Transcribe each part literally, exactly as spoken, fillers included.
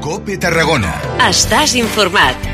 COPE Tarragona. Estàs informat.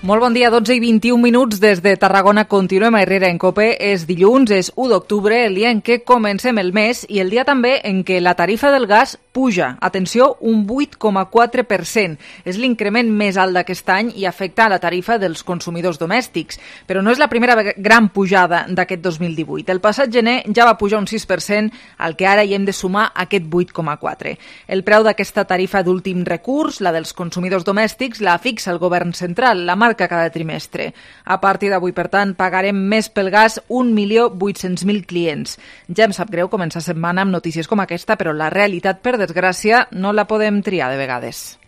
Molt bon dia, dotze i vint-i-un minuts des de Tarragona. Continuem a Herrera en COPE. És dilluns, és u d'octubre, el dia en què comencem el mes i el dia també en què la tarifa del gas puja. Atenció, un vuit coma quatre per cent. És l'increment més alt d'aquest any i afecta a la tarifa dels consumidors domèstics. Però no és la primera gran pujada d'aquest dos mil divuit. El passat gener ja va pujar un sis per cent, al que ara hi hem de sumar aquest vuit coma quatre. El preu d'aquesta tarifa d'últim recurs, la dels consumidors domèstics, la fixa el govern central, la marca cada trimestre. A partir d'avui, per tant, pagarem més pel gas un milió vuit-cents mil clients. Ja em sap greu començar setmana amb notícies com aquesta, però la realitat, per desgràcia, no la podem triar de vegades.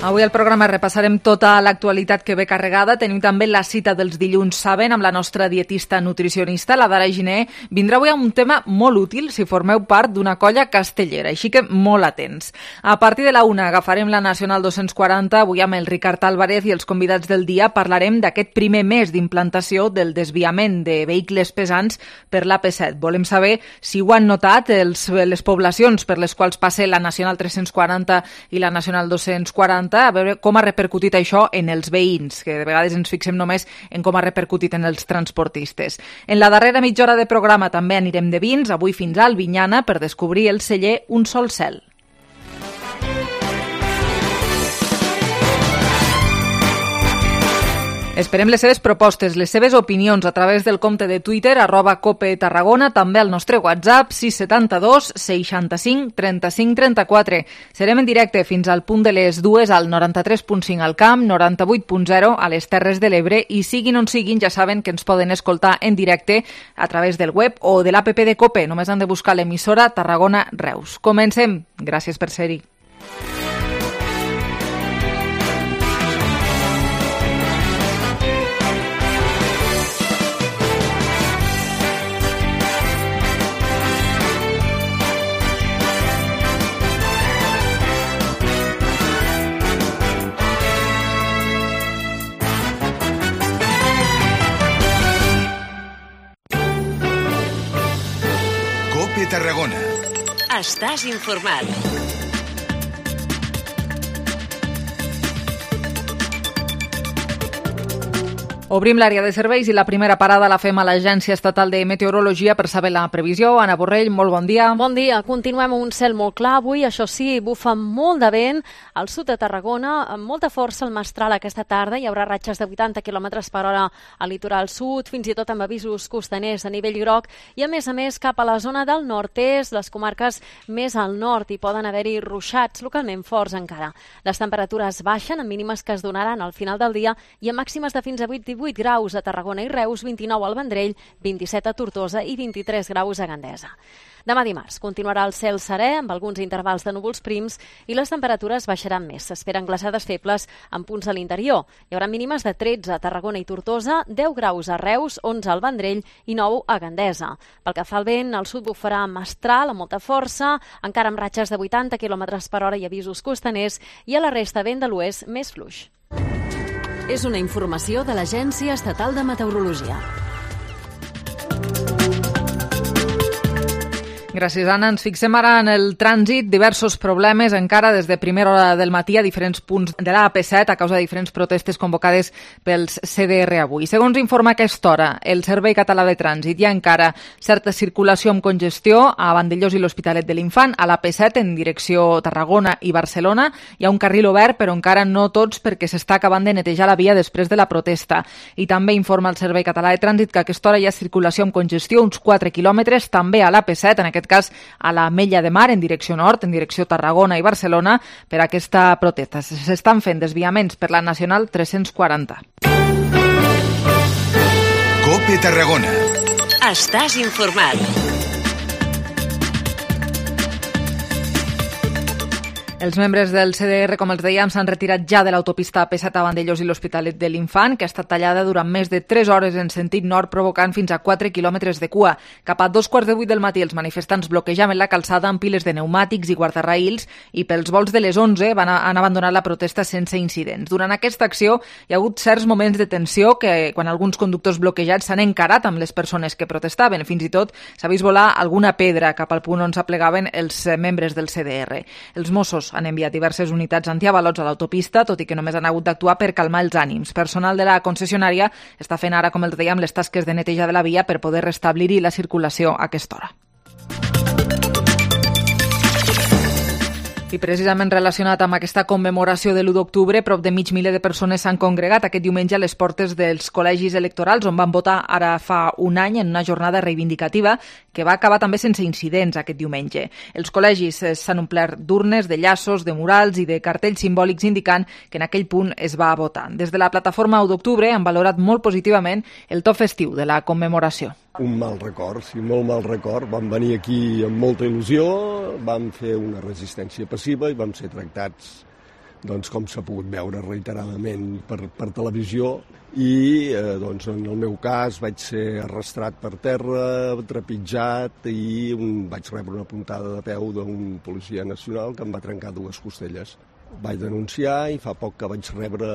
Avui al programa repassarem tota l'actualitat que ve carregada. Tenim també la cita dels dilluns saben amb la nostra dietista nutricionista, la Dara Giner. Vindrà avui amb un tema molt útil si formeu part d'una colla castellera, així que molt atents. A partir de la una agafarem la Nacional dos-cents quaranta, avui amb el Ricard Álvarez i els convidats del dia parlarem d'aquest primer mes d'implantació del desviament de vehicles pesants per l'A P set. Volem saber si ho han notat els, les poblacions per les quals passa la Nacional tres-cents quaranta i la Nacional dos-cents quaranta, a veure com ha repercutit això en els veïns, que de vegades ens fixem només en com ha repercutit en els transportistes. En la darrera mitja hora de programa també anirem de vins, avui fins a Albinyana, per descobrir el celler Un Sol Cel. Esperem les seves propostes, les seves opinions a través del compte de Twitter, arroba Cope Tarragona, també al nostre WhatsApp, sis setanta dos seixanta-cinc trenta-cinc trenta-quatre. Serem en directe fins al punt de les dues al noranta-tres punt cinc al Camp, noranta-vuit punt zero a les Terres de l'Ebre i siguin on siguin, ja saben que ens poden escoltar en directe a través del web o de l'app de Cope. Només han de buscar l'emissora Tarragona Reus. Comencem. Gràcies per ser-hi. COPE Tarragona. Estàs informat. Obrim l'àrea de serveis i la primera parada la fem a l'Agència Estatal de Meteorologia per saber la previsió. Anna Borrell, molt bon dia. Bon dia. Continuem amb un cel molt clar avui. Això sí, bufa molt de vent al sud de Tarragona, amb molta força al Mestral aquesta tarda. Hi haurà ratxes de vuitanta quilòmetres per hora al litoral sud, fins i tot amb avisos costaners a nivell groc. I a més a més, cap a la zona del nord-est, les comarques més al nord, hi poden haver-hi ruixats localment forts encara. Les temperatures baixen, amb mínimes que es donaran al final del dia i amb màximes de fins a vuit divuit graus a Tarragona i Reus, vint-i-nou al Vendrell, vint-i-set a Tortosa i vint-i-tres graus a Gandesa. Demà dimarts continuarà el cel serè amb alguns intervals de núvols prims i les temperatures baixaran més. S'esperen glaçades febles en punts a l'interior. Hi haurà mínimes de tretze a Tarragona i Tortosa, deu graus a Reus, onze al Vendrell i nou a Gandesa. Pel que fa al vent, al sud bufarà mestral amb molta força, encara amb ratxes de vuitanta quilòmetres per hora i avisos costaners, i a la resta vent de l'oest més fluix. És una informació de l'Agència Estatal de Meteorologia. Gràcies, Anna. Ens fixem ara en el trànsit. Diversos problemes encara des de primera hora del matí a diferents punts de la A P set a causa de diferents protestes convocades pels C D R avui. Segons informa a aquesta hora el Servei Català de Trànsit, hi ha encara certa circulació amb congestió a Vandellós i l'Hospitalet de l'Infant, a l'A P set en direcció Tarragona i Barcelona. Hi ha un carril obert, però encara no tots perquè s'està acabant de netejar la via després de la protesta. I també informa el Servei Català de Trànsit que a aquesta hora hi ha circulació amb congestió, uns quatre quilòmetres, també a l'A P set, en aquest cas a la Mella de Mar, en direcció nord, en direcció Tarragona i Barcelona, per aquesta protesta. S'estan fent desviaments per la Nacional tres-cents quaranta. COPE Tarragona. Estàs informat. Els membres del C D R, com els dèiem, s'han retirat ja de l'autopista A P set a Vandellòs i l'Hospitalet de l'Infant, que ha estat tallada durant més de tres hores en sentit nord, provocant fins a quatre quilòmetres de cua. Cap a dos quarts de vuit del matí, els manifestants bloquejaven la calçada amb piles de pneumàtics i guardarraïls i pels volts de les onze van a, han abandonat la protesta sense incidents. Durant aquesta acció hi ha hagut certs moments de tensió que, quan alguns conductors bloquejats s'han encarat amb les persones que protestaven. Fins i tot s'ha vist volar alguna pedra cap al punt on s'aplegaven els membres del C D R. Els Mossos han enviat diverses unitats antiavalots a l'autopista, tot i que només han hagut d'actuar per calmar els ànims. Personal de la concessionària està fent ara, com els dèiem, les tasques de neteja de la via per poder restablir-hi la circulació a aquesta hora. I precisament relacionat amb aquesta commemoració de l'u d'octubre, prop de mig miler de persones s'han congregat aquest diumenge a les portes dels col·legis electorals on van votar ara fa un any en una jornada reivindicativa que va acabar també sense incidents aquest diumenge. Els col·legis s'han omplert d'urnes, de llaços, de murals i de cartells simbòlics indicant que en aquell punt es va votar. Des de la plataforma u d'octubre han valorat molt positivament el to festiu de la commemoració. Un mal record, sí, molt mal record. Vam venir aquí amb molta il·lusió, vam fer una resistència passiva i vam ser tractats, doncs, com s'ha pogut veure reiteradament per, per televisió i eh, doncs, en el meu cas vaig ser arrastrat per terra, trepitjat i un, vaig rebre una puntada de peu d'un policia nacional que em va trencar dues costelles. Vaig denunciar i fa poc que vaig rebre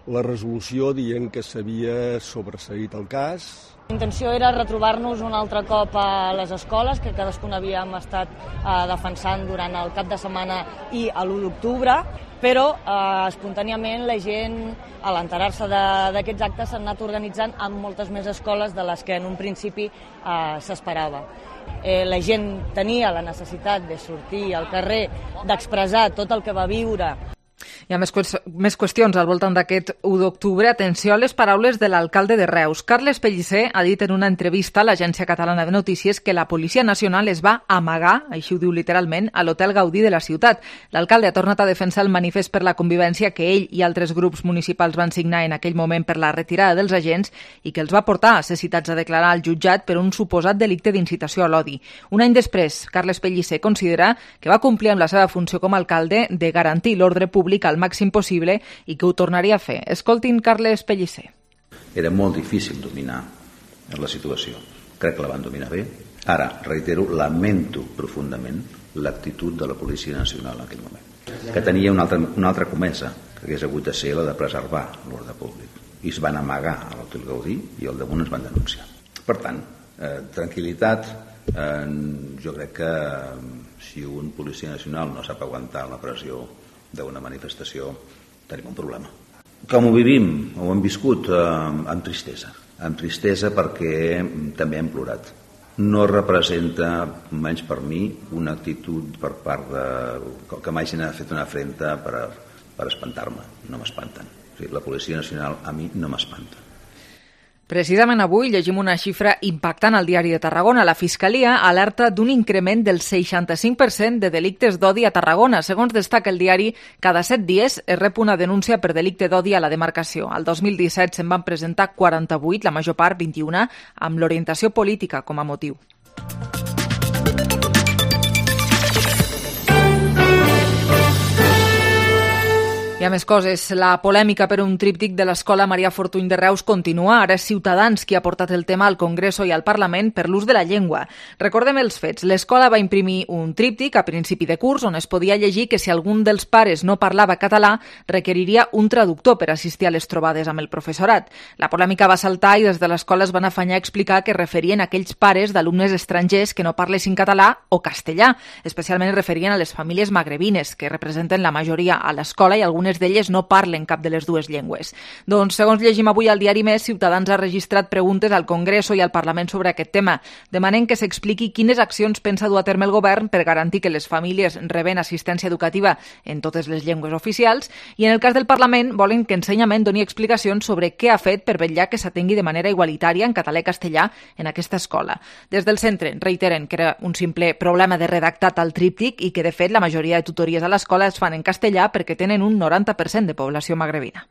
la resolució dient que s'havia sobreseït el cas. La intenció era retrobar-nos un altre cop a les escoles, que cadascun havíem estat eh, defensant durant el cap de setmana i a l'u d'octubre, però eh, espontàniament la gent, a l'enterar-se d'aquests actes, s'ha anat organitzant amb moltes més escoles de les que en un principi eh, s'esperava. Eh, la gent tenia la necessitat de sortir al carrer, d'expressar tot el que va viure. Hi ha més, més qüestions al voltant d'aquest u d'octubre. Atenció a les paraules de l'alcalde de Reus. Carles Pellicer ha dit en una entrevista a l'Agència Catalana de Notícies que la Policia Nacional es va amagar, així ho diu literalment, a l'Hotel Gaudí de la ciutat. L'alcalde ha tornat a defensar el manifest per la convivència que ell i altres grups municipals van signar en aquell moment per la retirada dels agents i que els va portar a ser citats a declarar al jutjat per un suposat delicte d'incitació a l'odi. Un any després, Carles Pellicer considera que va complir amb la seva funció com a alcalde de garantir l'ordre públic al màxim possible i que ho tornaria a fer. Escoltin Carles Pellicer. Era molt difícil dominar la situació. Crec que la van dominar bé. Ara, reitero, lamento profundament l'actitud de la Policia Nacional en aquell moment, que tenia una altra, una altra comesa, que hagués hagut de ser la de preservar l'ordre públic. I es van amagar a l'Hotel Gaudí i al damunt es van denunciar. Per tant, eh, tranquil·litat. Eh, jo crec que si un policia nacional no sap aguantar la pressió d'una manifestació, tenim un problema. Com ho vivim, ho hem viscut eh, amb tristesa. Amb tristesa perquè també hem plorat. No representa, menys per mi, una actitud per part de... que m'hagin fet una afrenta per, per espantar-me. No m'espanten. O sigui, la Policia Nacional a mi no m'espanta. Precisament avui llegim una xifra impactant al Diari de Tarragona. La Fiscalia alerta d'un increment del seixanta-cinc per cent de delictes d'odi a Tarragona. Segons destaca el diari, cada set dies es rep una denúncia per delicte d'odi a la demarcació. El dos mil disset se'n van presentar quaranta-vuit, la major part, vint-i-una, amb l'orientació política com a motiu. Hi ha més coses. La polèmica per un tríptic de l'Escola Maria Fortuny de Reus continua. Ara és Ciutadans qui ha portat el tema al Congreso i al Parlament per l'ús de la llengua. Recordem els fets. L'escola va imprimir un tríptic a principi de curs on es podia llegir que si algun dels pares no parlava català requeriria un traductor per assistir a les trobades amb el professorat. La polèmica va saltar i des de l'escola es van afanyar a explicar que referien a aquells pares d'alumnes estrangers que no parlessin català o castellà. Especialment es referien a les famílies magrebines, que representen la majoria a l'escola i algunes d'elles no parlen cap de les dues llengües. Doncs, segons llegim avui al diari Més, Ciutadans ha registrat preguntes al Congreso i al Parlament sobre aquest tema. Demanen que s'expliqui quines accions pensa dur a terme el govern per garantir que les famílies reben assistència educativa en totes les llengües oficials i, en el cas del Parlament, volen que Ensenyament doni explicacions sobre què ha fet per vetllar que s'atengui de manera igualitària en català i castellà en aquesta escola. Des del centre reiteren que era un simple problema de redactat al tríptic i que, de fet, la majoria de tutories a l'escola es fan en castellà perquè tenen un noranta per cent de població magrebina.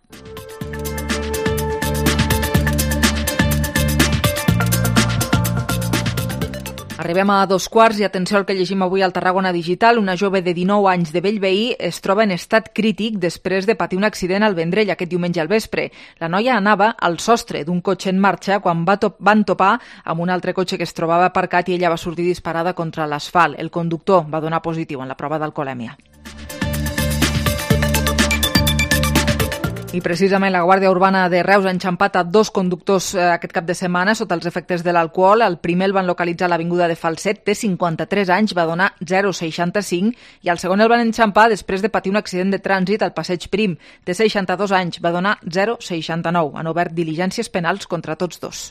Arribem a dos quarts i atenció al que llegim avui al Tarragona Digital. Una jove de dinou anys de Bellveí es troba en estat crític després de patir un accident al Vendrell aquest diumenge al vespre. La noia anava al sostre d'un cotxe en marxa quan va to- van topar amb un altre cotxe que es trobava aparcat i ella va sortir disparada contra l'asfalt. El conductor va donar positiu en la prova d'alcoholèmia. I precisament la Guàrdia Urbana de Reus ha enxampat a dos conductors eh, aquest cap de setmana sota els efectes de l'alcohol. El primer el van localitzar a l'avinguda de Falset, té cinquanta-tres anys, va donar zero coma seixanta-cinc, i el segon el van enxampar després de patir un accident de trànsit al Passeig Prim, té seixanta-dos anys, va donar zero coma seixanta-nou. Han obert diligències penals contra tots dos.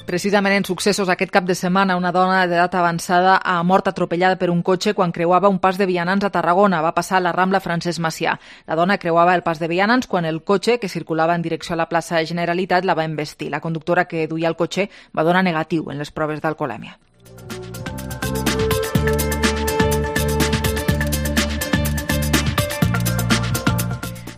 Precisament en successos aquest cap de setmana, una dona d'edat avançada ha mort atropellada per un cotxe quan creuava un pas de vianants a Tarragona. Va passar a la Rambla Francesc Macià. La dona creuava el pas de vianants quan el cotxe, que circulava en direcció a la plaça Generalitat, la va embestir. La conductora que duia el cotxe va donar negatiu en les proves d'alcoholèmia.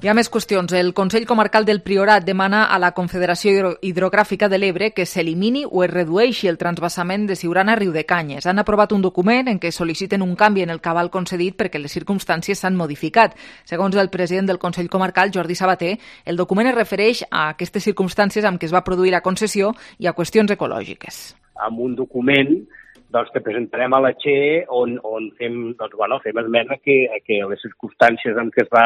Hi ha més qüestions. El Consell Comarcal del Priorat demana a la Confederació Hidrogràfica de l'Ebre que s'elimini o es redueixi el transvasament de Siurana a Riudecanyes. Han aprovat un document en què sol·liciten un canvi en el cabal concedit perquè les circumstàncies s'han modificat. Segons el president del Consell Comarcal, Jordi Sabater, el document es refereix a aquestes circumstàncies amb què es va produir la concessió i a qüestions ecològiques. Amb un document doncs, que presentarem a la Che on, on fem, doncs, bueno, fem esmena que, que les circumstàncies en què es va,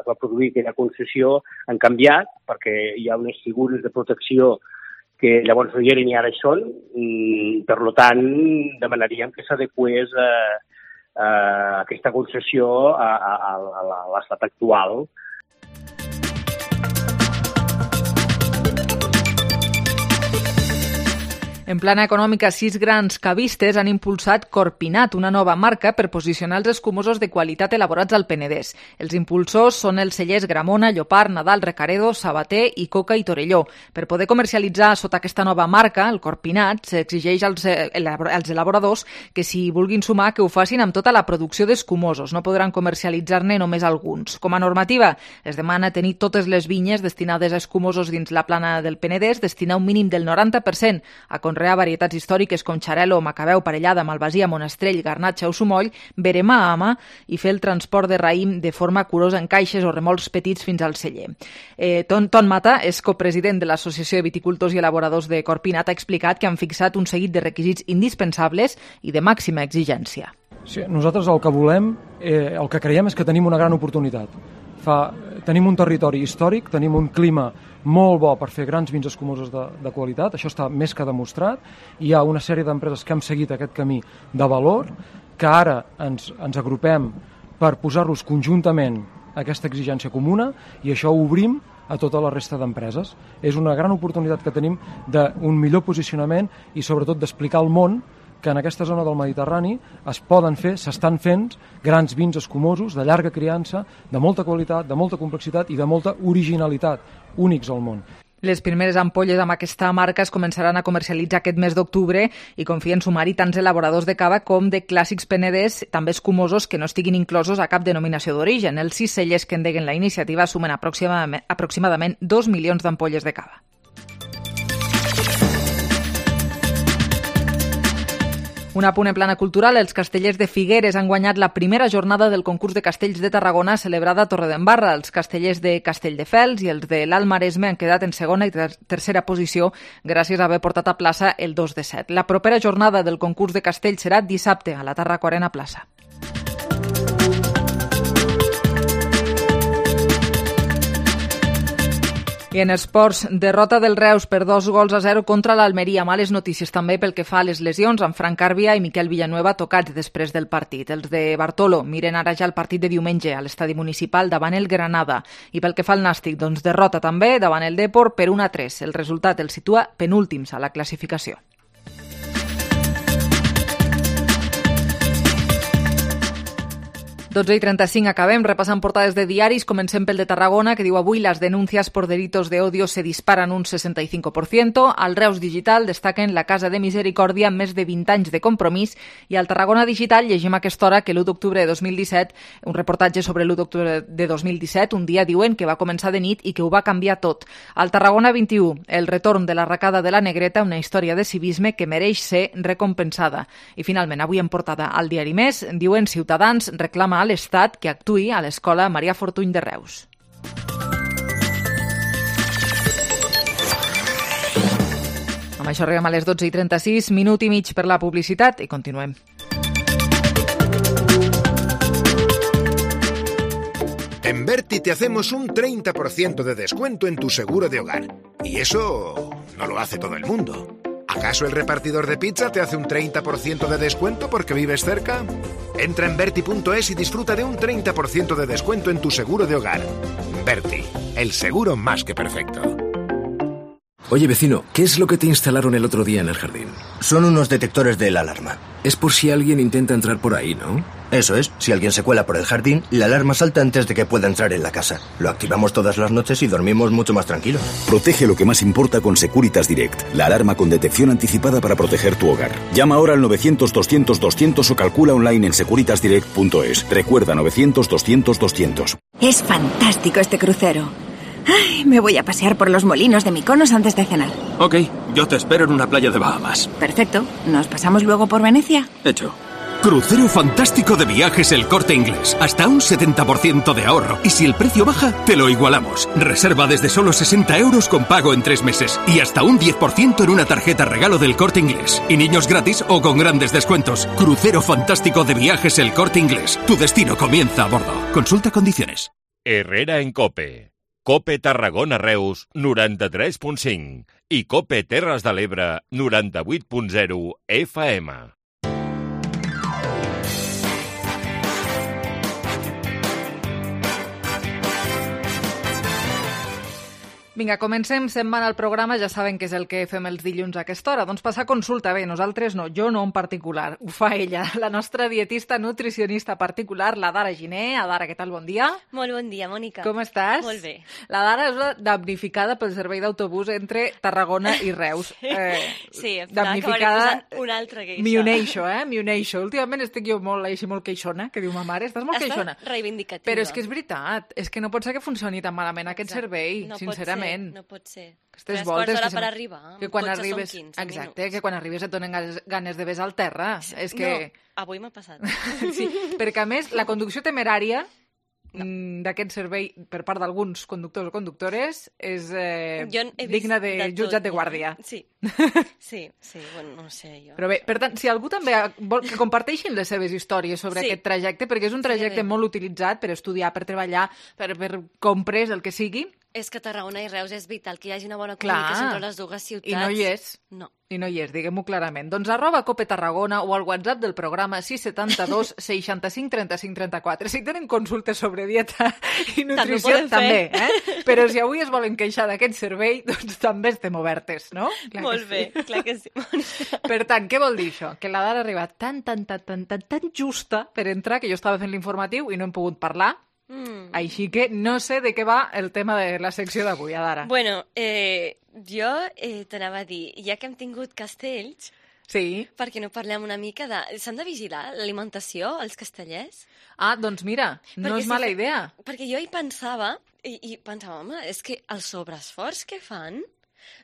es va produir aquella concessió han canviat, perquè hi ha unes figures de protecció que llavors no hi eren i ara hi són. Per tant, demanaríem que s'adequés a, a aquesta concessió a, a, a l'estat actual. En plana econòmica, sis grans cavistes han impulsat Corpinat, una nova marca per posicionar els escumosos de qualitat elaborats al Penedès. Els impulsors són els cellers Gramona, Llopart, Nadal, Recaredo, Sabater i Coca i Torelló. Per poder comercialitzar sota aquesta nova marca, el Corpinat, s'exigeix als, als elaboradors que s'hi vulguin sumar que ho facin amb tota la producció d'escumosos. No podran comercialitzar-ne només alguns. Com a normativa, es demana tenir totes les vinyes destinades a escumosos dins la plana del Penedès, destinar un mínim del noranta per cent a conrear varietats històriques com Xarel·lo, Macabeu, Parellada, Malvasia, Monastrell, Garnatxa o Sumoll, verema a ama i fer el transport de raïm de forma curosa en caixes o remolcs petits fins al celler. Eh, Ton, Ton Mata és copresident de l'Associació de Viticultors i Elaboradors de Corpinat, ha explicat que han fixat un seguit de requisits indispensables i de màxima exigència. Sí, nosaltres el que volem, eh, el que creiem és que tenim una gran oportunitat. Fa, tenim un territori històric, tenim un clima molt bo per fer grans vins escumosos de, de qualitat, això està més que demostrat, i hi ha una sèrie d'empreses que hem seguit aquest camí de valor, que ara ens, ens agrupem per posar-los conjuntament a aquesta exigència comuna, i això ho obrim a tota la resta d'empreses. És una gran oportunitat que tenim d'un millor posicionament i sobretot d'explicar al món que en aquesta zona del Mediterrani es poden fer, s'estan fent grans vins escumosos de llarga criança, de molta qualitat, de molta complexitat i de molta originalitat, únics al món. Les primeres ampolles amb aquesta marca es començaran a comercialitzar aquest mes d'octubre i confien sumar-hi tants elaboradors de cava com de clàssics penedès, també escumosos que no estiguin inclosos a cap denominació d'origen. Els sis cellers que endeguen la iniciativa sumen aproximadament, aproximadament dos milions d'ampolles de cava. Un apunt en plana cultural, els castellers de Figueres han guanyat la primera jornada del concurs de castells de Tarragona celebrada a Torredembarra. Els castellers de Castelldefels i els de l'Alt Maresme han quedat en segona i ter tercera posició gràcies a haver portat a plaça el dos de set. La propera jornada del concurs de castells serà dissabte a la Tarraco Arena Plaça. I en esports, derrota del Reus per dos gols a zero contra l'Almeria. Males notícies també pel que fa a les lesions amb Frank Carbia i Miquel Villanueva tocats després del partit. Els de Bartolo miren ara ja el partit de diumenge a l'estadi municipal davant el Granada. I pel que fa al Nàstic, doncs derrota també davant el Depor per un a tres. El resultat el situa penúltims a la classificació. dotze i trenta-cinc acabem repassant portades de diaris. Comencem pel de Tarragona, que diu avui las denuncias por delitos de odio se disparan un sesenta y cinco por ciento. Al Reus Digital destaquen la Casa de Misericòrdia, més de vint anys de compromís. I al Tarragona Digital llegim a aquesta hora que l'u d'octubre de dos mil disset, un reportatge sobre l'u d'octubre de dos mil disset, un dia diuen que va començar de nit i que ho va canviar tot. Al Tarragona vint-i-u, el retorn de l'arracada de la Negreta, una història de civisme que mereix ser recompensada. I finalment, avui en portada al diari Més, diuen Ciutadans reclama a l'Estat que actuï a l'Escola Marià Fortuny de Reus. Amb això arribem a les dotze i trenta-sis, minut i mig per la publicitat i continuem. En Berti te hacemos un treinta por ciento de descuento en tu seguro de hogar. Y eso no lo hace todo el mundo. ¿Acaso el repartidor de pizza te hace un treinta por ciento de descuento porque vives cerca? Entra en Berti punto es y disfruta de un treinta por ciento de descuento en tu seguro de hogar. Berti, el seguro más que perfecto. Oye, vecino, ¿qué es lo que te instalaron el otro día en el jardín? Son unos detectores de la alarma. Es por si alguien intenta entrar por ahí, ¿no? Eso es. Si alguien se cuela por el jardín, la alarma salta antes de que pueda entrar en la casa. Lo activamos todas las noches y dormimos mucho más tranquilos. Protege lo que más importa con Securitas Direct, la alarma con detección anticipada para proteger tu hogar. Llama ahora al novecientos doscientos doscientos o calcula online en securitas direct punto es. Recuerda novecientos doscientos doscientos. Es fantástico este crucero. Ay, me voy a pasear por los molinos de Mykonos antes de cenar. Ok, yo te espero en una playa de Bahamas. Perfecto. ¿Nos pasamos luego por Venecia? Hecho. Crucero fantástico de Viajes El Corte Inglés. Hasta un setenta por ciento de ahorro. Y si el precio baja, te lo igualamos. Reserva desde solo sesenta euros con pago en tres meses. Y hasta un diez por ciento en una tarjeta regalo del Corte Inglés. Y niños gratis o con grandes descuentos. Crucero fantástico de Viajes El Corte Inglés. Tu destino comienza a bordo. Consulta condiciones. Herrera en COPE. COPE Tarragona Reus noranta-tres punt cinc i COPE Terres de l'Ebre noranta-vuit punt zero F M. Vinga, comencem setmana al programa, ja saben que és el que fem els dilluns a aquesta hora. Doncs passar consulta, bé, nosaltres no, jo no en particular, ho fa ella, la nostra dietista nutricionista particular, la Dara Giner. Dara, què tal, bon dia? Molt bon dia, Mònica. Com estàs? Molt bé. La Dara és la damnificada pel servei d'autobús entre Tarragona i Reus. Sí, eh, sí damnificada... un altre queixa. M'hi uneixo, eh? M'hi uneixo. Últimament estic jo molt, així, molt queixona, que diu ma mare, estàs molt Estàs queixona. reivindicativa. Però és que és veritat, és que no pot ser que funcioni tan malament aquest servei, no sincerament. No pot ser. Aquestes Tres voltes quarts d'hora que per sem- arribar. que quan Cotxe arribes, són quinze exacte, minuts. que quan arribes et donen ganes, ganes de besar el terra. És que... No, avui m'ha passat. Sí, perquè a més la conducció temerària no. d'aquest servei per part d'alguns conductors o conductores és eh, digna de, de jutjat de guàrdia. Sí, sí, sí, bueno, no sé jo. Però bé, per tant, si algú també vol que comparteixin les seves històries sobre Sí. aquest trajecte, perquè és un trajecte bé. molt utilitzat per estudiar, per treballar, per, per compres, el que sigui. És que Tarragona i Reus és vital que hi hagi una bona Clar. comunicació entre les dues ciutats. I no hi és. No. I no hi és, diguem-ho clarament. Doncs arroba Cope Tarragona o al WhatsApp del programa sis setanta dos seixanta-cinc trenta-cinc trenta-quatre. Si tenen consultes sobre dieta i nutrició, poden fer. també, eh? Però si avui es volen queixar d'aquest servei, doncs també estem obertes, no? Clar Molt que bé, sí. clar que sí. Per tant, què vol dir això? Que la Dara ha arribat tan, tan, tan, tan, tan, tan justa per entrar que jo estava fent l'informatiu i no hem pogut parlar. Mm. Així que no sé de què va el tema de la secció d'avui, Dara. Bueno, eh, jo eh, t'anava a dir, ja que hem tingut castells, sí. per què no parlem una mica de... S'han de vigilar l'alimentació, els castellers? Ah, doncs mira, no Perquè és si mala fe- idea. Perquè jo hi pensava, i, i pensava, home, és que el sobreesforç que fan,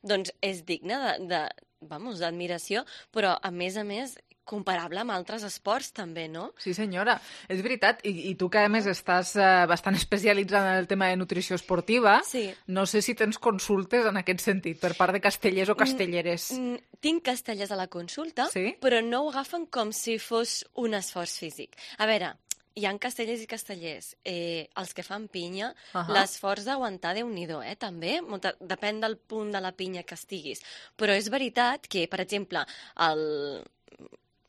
doncs és digne de, de vamos, d'admiració, però a més a més comparable amb altres esports també, no? Sí, senyora, és veritat. I, i tu que a més estàs eh, bastant especialitzada en el tema de nutrició esportiva, Sí. no sé si tens consultes en aquest sentit per part de castellers o castelleres. Mm, tinc castellers a la consulta, Sí? però no ho agafen com si fos un esforç físic. A veure, hi ha castellers i castellers. Eh, els que fan pinya, Ahà. l'esforç d'aguantar, Déu-n'hi-do, eh, també. Molta, depèn del punt de la pinya que estiguis. Però és veritat que, per exemple, el,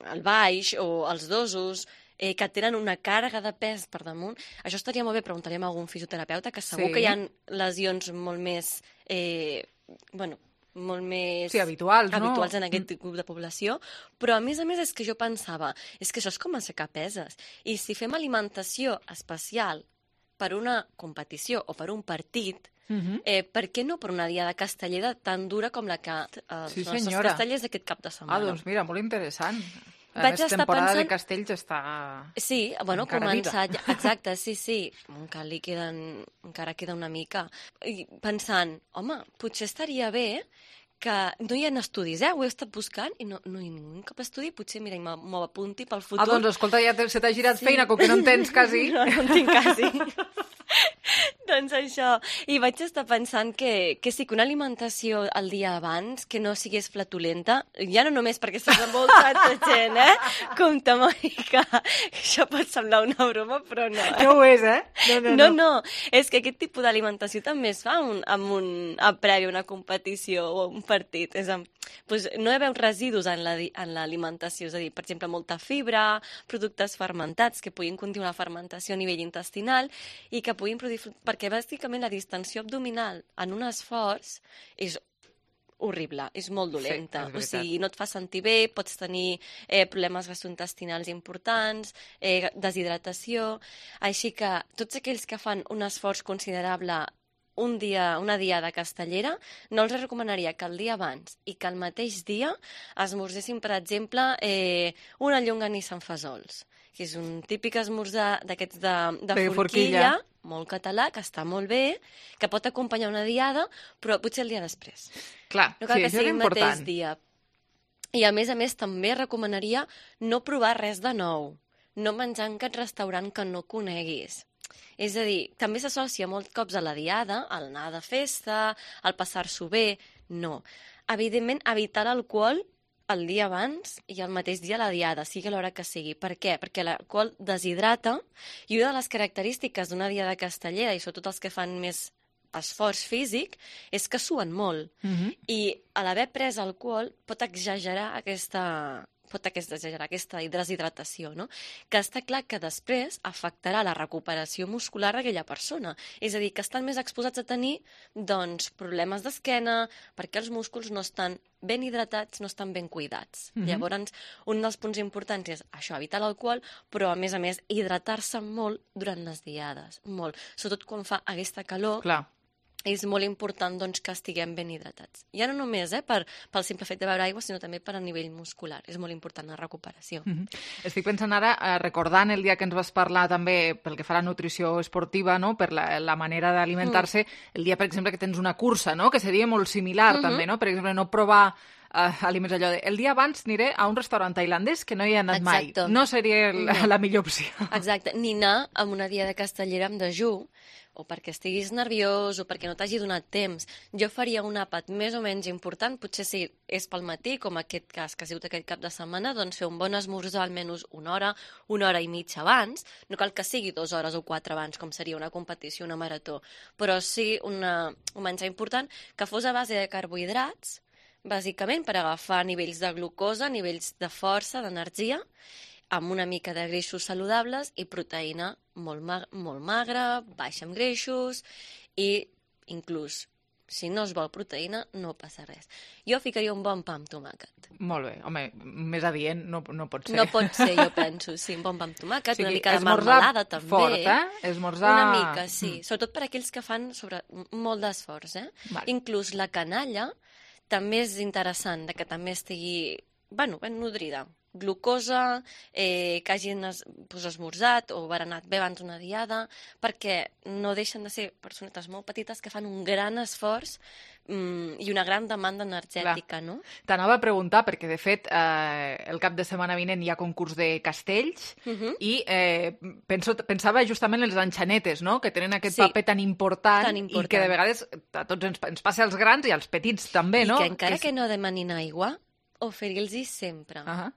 el baix o els dosos, eh, que tenen una càrrega de pes per damunt, això estaria molt bé, preguntaríem a algun fisioterapeuta, que segur Sí. que hi ha lesions molt més... Eh, bueno, molt més... Sí, habituals, no? Habituals en aquest grup de població, però a més a més és que jo pensava, és que això és com aixecar peses, i si fem alimentació especial per una competició o per un partit, Uh-huh. eh, per què no per una diada castellera tan dura com la que eh, Sí, els nostres senyora. castellers d'aquest cap de setmana? Ah, doncs mira, molt interessant. A Vaig més, estar temporada pensant- de castells està... Sí, bueno, encara començat, viva. exacte, sí, sí, encara li queden, encara queda una mica. I pensant, home, potser estaria bé que no hi ha estudis, eh? Ho he estat buscant i no, no hi ha ningú cap estudi, potser, mira, m'ho m'ho apunti pel futur. Ah, doncs escolta, ja te- se t'ha girat Sí. feina, com que no en tens quasi. No, no en tinc quasi. Doncs això, i vaig estar pensant que, que sí, que una alimentació el dia abans, que no sigués flatulenta, ja no només perquè estàs envoltat de gent, eh? Compte, Mònica, això pot semblar una broma, però no. Eh? No ho és, eh? No, no, no, no. no, és que aquest tipus d'alimentació també es fa un, amb un a previ una competició o un partit. És amb, doncs no hi ha veus residus en la di- en l'alimentació, és a dir, per exemple, molta fibra, productes fermentats que puguin continuar la fermentació a nivell intestinal i que puguin produir... Perquè bàsicament la distensió abdominal en un esforç és horrible, és molt dolenta. Sí, és o veritat. sigui, no et fa sentir bé, pots tenir eh, problemes gastrointestinals importants, eh, deshidratació... Així que tots aquells que fan un esforç considerable un dia, una diada castellera, no els recomanaria que el dia abans i que el mateix dia esmorzessin, per exemple, eh, una llonganissa amb fesols, que és un típic esmorzar d'aquests de, de, De forquilla, forquilla. molt català, que està molt bé, que pot acompanyar una diada, però potser el dia després. Clar, No cal sí, que això és sigui el mateix important. dia. I a més a més també recomanaria no provar res de nou, no menjar en cap restaurant que no coneguis. És a dir, també s'associa molts cops a la diada, al anar de festa, al passar-s'ho bé. No. Evidentment, evitar l'alcohol el dia abans i el mateix dia a la diada, sigui a l'hora que sigui. Per què? Perquè l'alcohol deshidrata i una de les característiques d'una diada castellera, i sobretot els que fan més esforç físic, és que suen molt. Mhm. I a l'haver pres alcohol pot exagerar aquesta pot aquesta, exagerar aquesta deshidratació, no? Que està clar que després afectarà la recuperació muscular d'aquella persona. És a dir, que estan més exposats a tenir doncs, problemes d'esquena perquè els músculs no estan ben hidratats, no estan ben cuidats. Mhm. Llavors, un dels punts importants és això, evitar l'alcohol, però a més a més hidratar-se molt durant les diades, molt. Sobretot quan fa aquesta calor, Clar. és molt important doncs, que estiguem ben hidratats. Ja no només eh, per, pel simple fet de beure aigua, sinó també per a nivell muscular. És molt important la recuperació. Mhm. Estic pensant ara, eh, recordant el dia que ens vas parlar també pel que fa a la nutrició esportiva, no? Per la, la manera d'alimentar-se, el dia, per exemple, que tens una cursa, no? Que seria molt similar Mhm. també, no? Per exemple, no provar eh, aliments allò de... El dia abans aniré a un restaurant tailandès que no hi he anat Exacte. mai. No seria la, No. la millor opció. Exacte. Ni anar amb una diada castellera amb dejú, o perquè estiguis nerviós, o perquè no t'hagi donat temps. Jo faria un àpat més o menys important, potser si és pel matí, com aquest cas que ha sigut aquest cap de setmana, doncs fer un bon esmorzar almenys una hora, una hora i mitja abans. No cal que sigui dues hores o quatre abans, com seria una competició, una marató, però sí una, un menjar important que fos a base de carbohidrats, bàsicament per agafar nivells de glucosa, nivells de força, d'energia, amb una mica de greixos saludables i proteïna molt, ma molt magra, baixa en greixos i inclús, si no es vol proteïna, no passa res. Jo ficaria un bon pa amb tomàquet. Molt bé. Home, més adient no, no pot ser. No pot ser, jo penso, sí, un bon pa amb tomàquet, O sigui, una mica de esmorzar marmelada també. fort, eh? Esmorzar... Una mica, sí. Mm. Sobretot per aquells que fan sobre molt d'esforç, eh? Vale. Inclús la canalla també és interessant, de que també estigui, bueno, ben nodrida. Glucosa, eh, que hagin es, pues, esmorzat o berenat bé abans d'una diada, perquè no deixen de ser personetes molt petites que fan un gran esforç mm, i una gran demanda energètica, no? T'anava a preguntar, perquè de fet eh, el cap de setmana vinent hi ha concurs de castells Uh -huh. i eh, penso, pensava justament en les enxanetes, no? Que tenen aquest Sí. paper tan important, Tan i important. que de vegades a tots ens, ens passa als grans i als petits també, I no? que encara és- que no demanin aigua, oferir-los sempre. Uh -huh.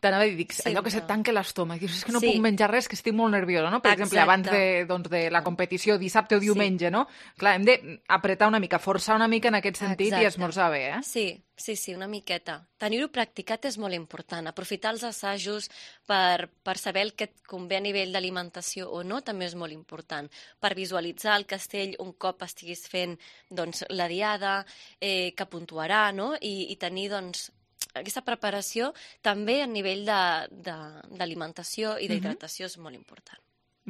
T'anava a dir, dic, allò que se tanca l'estómac, dius, és que no sí. puc menjar res, que estic molt nerviosa, no? Per Exacte. exemple, abans de, doncs, de la competició, dissabte o diumenge, sí. no? Clar, hem d'apretar una mica, forçar una mica en aquest sentit Exacte. i esmorzar bé, eh? Sí, sí, sí, una miqueta. Tenir-ho practicat és molt important. Aprofitar els assajos per, per saber el que et convé a nivell d'alimentació o no també és molt important. Per visualitzar el castell un cop estiguis fent doncs, la diada, eh, que puntuarà, no? I, i tenir, doncs, aquesta preparació també a nivell d'alimentació i d'hidratació és molt important.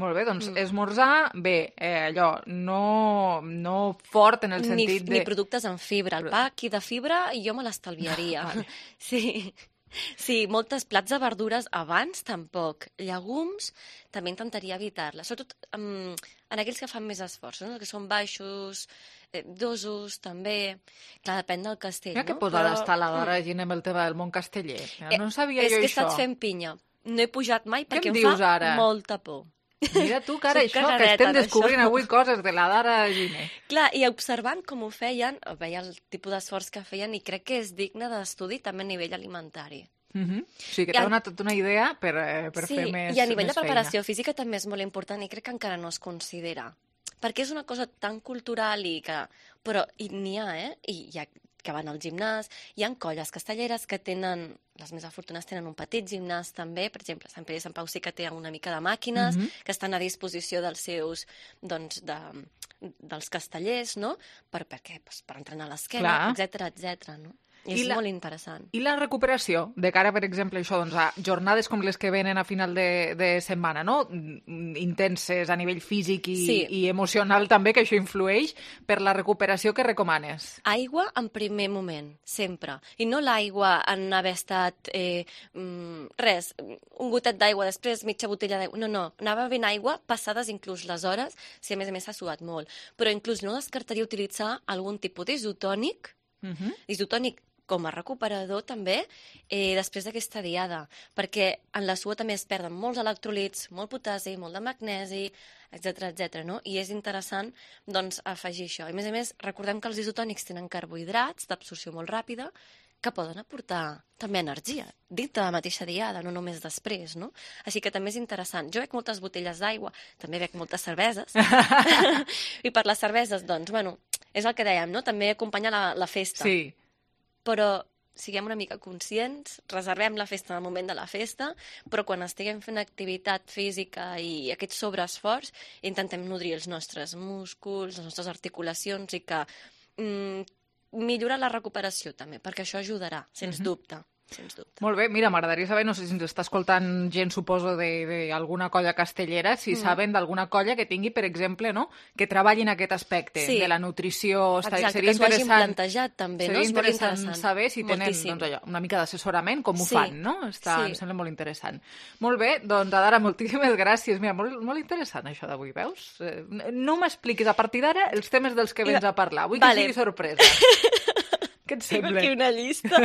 Molt bé, doncs mm. esmorzar, bé, eh, allò, no, no fort en el sentit ni, de... Ni productes amb fibra. El pa aquí de fibra jo me l'estalviaria. Vale. Sí. Sí, moltes plats de verdures abans tampoc. Llegums també intentaria evitar-les. Sobretot um, en aquells que fan més esforços, no? Que són baixos, eh, dosos, també. Clar, depèn del castell, Mira no? que posada Però... està la Dora Giner amb el tema del món casteller. No sabia eh, jo això. És que he estat fent pinya. No he pujat mai perquè em, em dius, fa ara? molta por. Mira tu, cara, això, que estem descobrint avui coses de la Dara Giner. Clar, i observant com ho feien, veia el tipus d'esforç que feien i crec que és digne d'estudi també a nivell alimentari. Mm-hmm. O sigui, que t'ha donat tota una idea per, per sí, fer més i a nivell més de preparació feina. física també és molt important i crec que encara no es considera. Perquè és una cosa tan cultural i que... Però n'hi ha, eh? I hi ha que van al gimnàs. Hi ha colles castelleres que tenen, les més afortunades tenen un petit gimnàs també, per exemple, Sant Pere i Sant Pau sí que té una mica de màquines, mm-hmm. que estan a disposició dels seus, doncs, de, dels castellers, no? Per, per què? Pues per entrenar l'esquena, etcètera, etcètera, no? I és la, molt interessant. I la recuperació, de cara, per exemple, això, doncs, a jornades com les que venen a final de, de setmana, no? Intenses a nivell físic i, sí. i emocional també, que això influeix, per la recuperació que recomanes? Aigua en primer moment, sempre. I no l'aigua en haver estat, eh, res, un gotet d'aigua, després mitja botella d'aigua. No, no, anava bevent aigua, passades inclús les hores, si a més a més s'ha suat molt. Però inclús no descartaria utilitzar algun tipus d'isotònic, uh-huh. isotònic com a recuperador també, eh, després d'aquesta diada, perquè en la suor també es perden molts electrolits, molt potassi, molt de magnesi, etcètera, etcètera, no? I és interessant, doncs, afegir això. I a més a més, recordem que els isotònics tenen carbohidrats d'absorció molt ràpida, que poden aportar també energia, dintre de la mateixa diada, no només després, no? Així que també és interessant. Jo bec moltes botelles d'aigua, també bec moltes cerveses, i per les cerveses, doncs, bueno, és el que dèiem, no? També acompanya la, la festa. Sí. Però siguem una mica conscients, reservem la festa en el moment de la festa, però quan estiguem fent activitat física i aquest sobreesforç, intentem nodrir els nostres músculs, les nostres articulacions i que mm, millorar la recuperació també, perquè això ajudarà, sens uh-huh. dubte. Sens dubte. Molt bé, mira, m'agradaria saber, no sé si ens està escoltant gent, suposo, d'alguna colla castellera, si mm. saben d'alguna colla que tingui, per exemple, no?, que treballi en aquest aspecte sí. de la nutrició. Exacte, seria que s'ho hagin plantejat també, no? Seria interessant, interessant saber si tenen doncs, allò, una mica d'assessorament, com ho sí. fan, no? Està, sí. Em sembla molt interessant. Molt bé, doncs, Adara, moltíssimes gràcies. Mira, molt, molt interessant això d'avui, veus? No m'expliquis a partir d'ara els temes dels que vens a parlar. Vull vale. que sigui sorpresa. Què et sembla? Tinc aquí una llista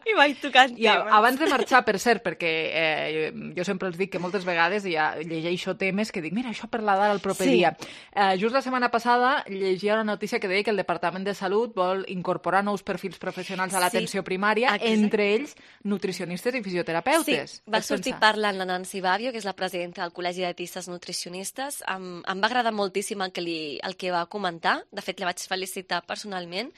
i vaig tocant I temes. Abans de marxar, per cert, perquè eh, jo sempre els dic que moltes vegades ja llegeixo temes que dic, mira, això per la Dara el proper sí. dia. Eh, just la setmana passada llegia una notícia que deia que el Departament de Salut vol incorporar nous perfils professionals a l'atenció sí. primària, Exacte. entre ells nutricionistes i fisioterapeutes. Sí, va sortir pensar? parlant la Nancy Babio, que és la presidenta del Col·legi de Dietistes Nutricionistes. Em, em va agradar moltíssim el que, li, el que va comentar. De fet, la vaig felicitar personalment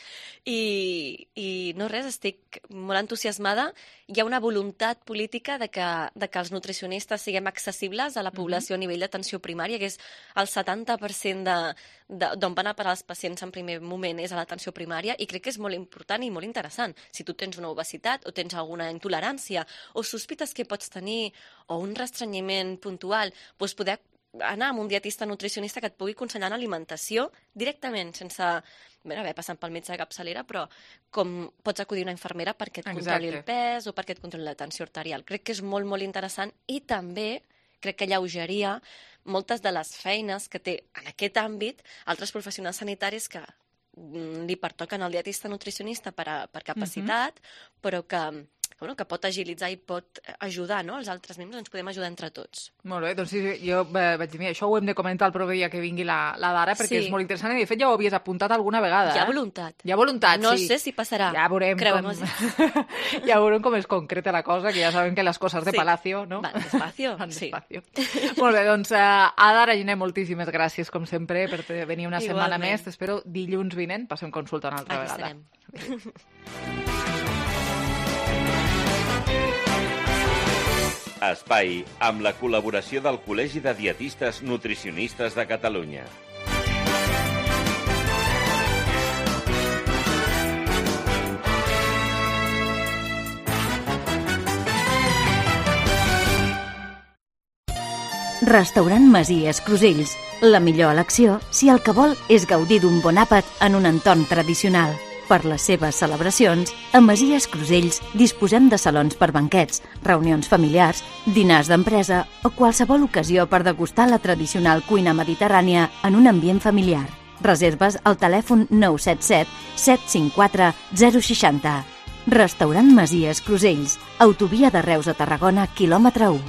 i i no res, estic molt entusiasmada. Hi ha una voluntat política de que, de que els nutricionistes siguem accessibles a la població mm-hmm. a nivell d'atenció primària, que és el setanta per cent d'on van a parar els pacients en primer moment és a l'atenció primària, i crec que és molt important i molt interessant. Si tu tens una obesitat o tens alguna intolerància o sospites que pots tenir o un restrenyiment puntual, doncs poder anar amb un dietista nutricionista que et pugui aconsellar en alimentació directament, sense bé, haver passat pel metge de capçalera, però com pots acudir a una infermera perquè et controli Exacte. el pes o perquè et controli la tensió arterial. Crec que és molt, molt interessant i també crec que alleugeria moltes de les feines que té en aquest àmbit altres professionals sanitaris que li pertoquen al dietista nutricionista per, a, per capacitat, uh-huh. però que bueno, que pot agilitzar i pot ajudar, no? Els altres membres ens podem ajudar entre tots. Molt bé, doncs sí, jo eh, vaig dir, mira, això ho hem de comentar el proper dia que vingui la, la Dara, perquè sí. és molt interessant, i de fet ja ho havies apuntat alguna vegada. Hi ha eh? voluntat. Hi ha voluntat, no sí. sé si passarà. Ja veurem com... ja veurem com es concreta la cosa, que ja sabem que les coses de sí. Palacio, no? Van despacio. Van sí. despacio. Molt bé, doncs uh, a Dara Giner, moltíssimes gràcies, com sempre, per venir una Igualment. setmana més. T'espero dilluns vinent, passem consulta una altra Aquí vegada. Espai amb la col·laboració del Col·legi de Dietistes Nutricionistes de Catalunya. Restaurant Masies Crusells. La millor elecció si el que vol és gaudir d'un bon àpat en un entorn tradicional. Per les seves celebracions, a Masies Crusells disposem de salons per banquets, reunions familiars, dinars d'empresa o qualsevol ocasió per degustar la tradicional cuina mediterrània en un ambient familiar. Reserves al telèfon nou set set set cinc quatre zero sis zero. Restaurant Masies Crusells, autovia de Reus a Tarragona, quilòmetre u.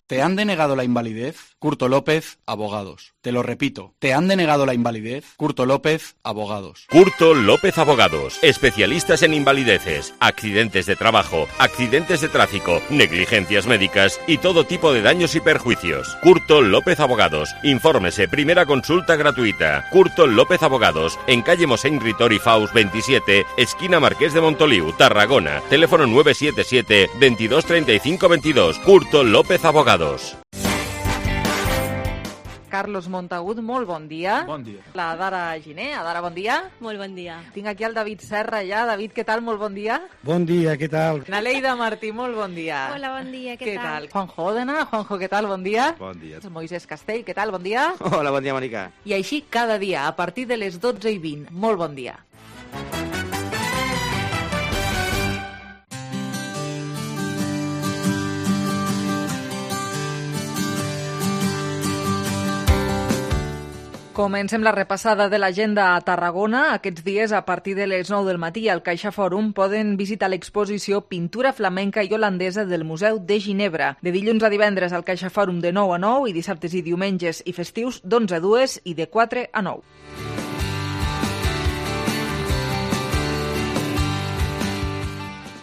¿Te han denegado la invalidez? Curto López, Abogados. Te lo repito. ¿Te han denegado la invalidez? Curto López, Abogados. Curto López Abogados. Especialistas en invalideces, accidentes de trabajo, accidentes de tráfico, negligencias médicas y todo tipo de daños y perjuicios. Curto López Abogados. Infórmese. Primera consulta gratuita. Curto López Abogados. En calle Mosén Ritori Faus veintisiete, esquina Marqués de Montoliu, Tarragona. Teléfono nueve siete siete veintidós treinta y cinco veintidós. Curto López Abogados. Carlos Montagut, molt bon dia. Bon dia. La Dara Giner. Dara, bon dia. Molt bon dia. Tinc aquí el David Serra ja. David, què tal? Molt bon dia. Bon dia, què tal? Naleida Martí, molt bon dia. Hola, bon dia, què, què tal? tal? Juanjo Òdena. Juanjo, què tal? Bon dia. Bon dia. Moisés Castell, què tal? Bon dia. Hola, bon dia, Mònica. I així cada dia, a partir de les dotze i vint. Molt bon dia. Comencem la repassada de l'agenda a Tarragona. Aquests dies, a partir de les nou del matí, al Caixa Fòrum poden visitar l'exposició Pintura flamenca i holandesa del Museu de Ginebra. De dilluns a divendres al Caixa Fòrum de nou a nou i dissabtes i diumenges i festius d'onze a dues i de quatre a nou.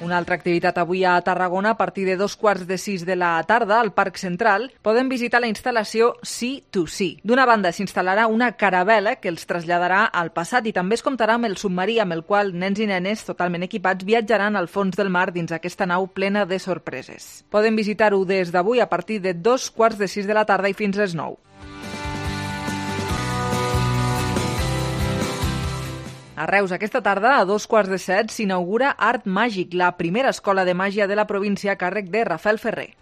Una altra activitat avui a Tarragona, a partir de dos quarts de sis de la tarda, al Parc Central, poden visitar la instal·lació Sea to Sea. D'una banda, s'instal·larà una caravela que els traslladarà al passat i també es comptarà amb el submarí amb el qual nens i nenes totalment equipats viatjaran al fons del mar dins aquesta nau plena de sorpreses. Poden visitar-ho des d'avui a partir de dos quarts de sis de la tarda i fins les nou. A Reus, aquesta tarda, a dos quarts de set, s'inaugura Art Màgic, la primera escola de màgia de la província a càrrec de Rafael Ferrer.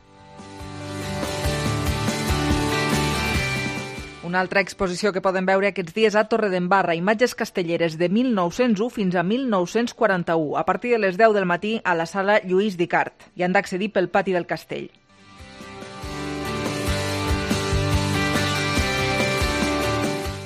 Una altra exposició que poden veure aquests dies a Torredembarra, imatges castelleres de mil nou-cents u fins a mil nou-cents quaranta-u, a partir de les deu del matí a la sala Lluís Dicart. Hi han d'accedir pel pati del castell.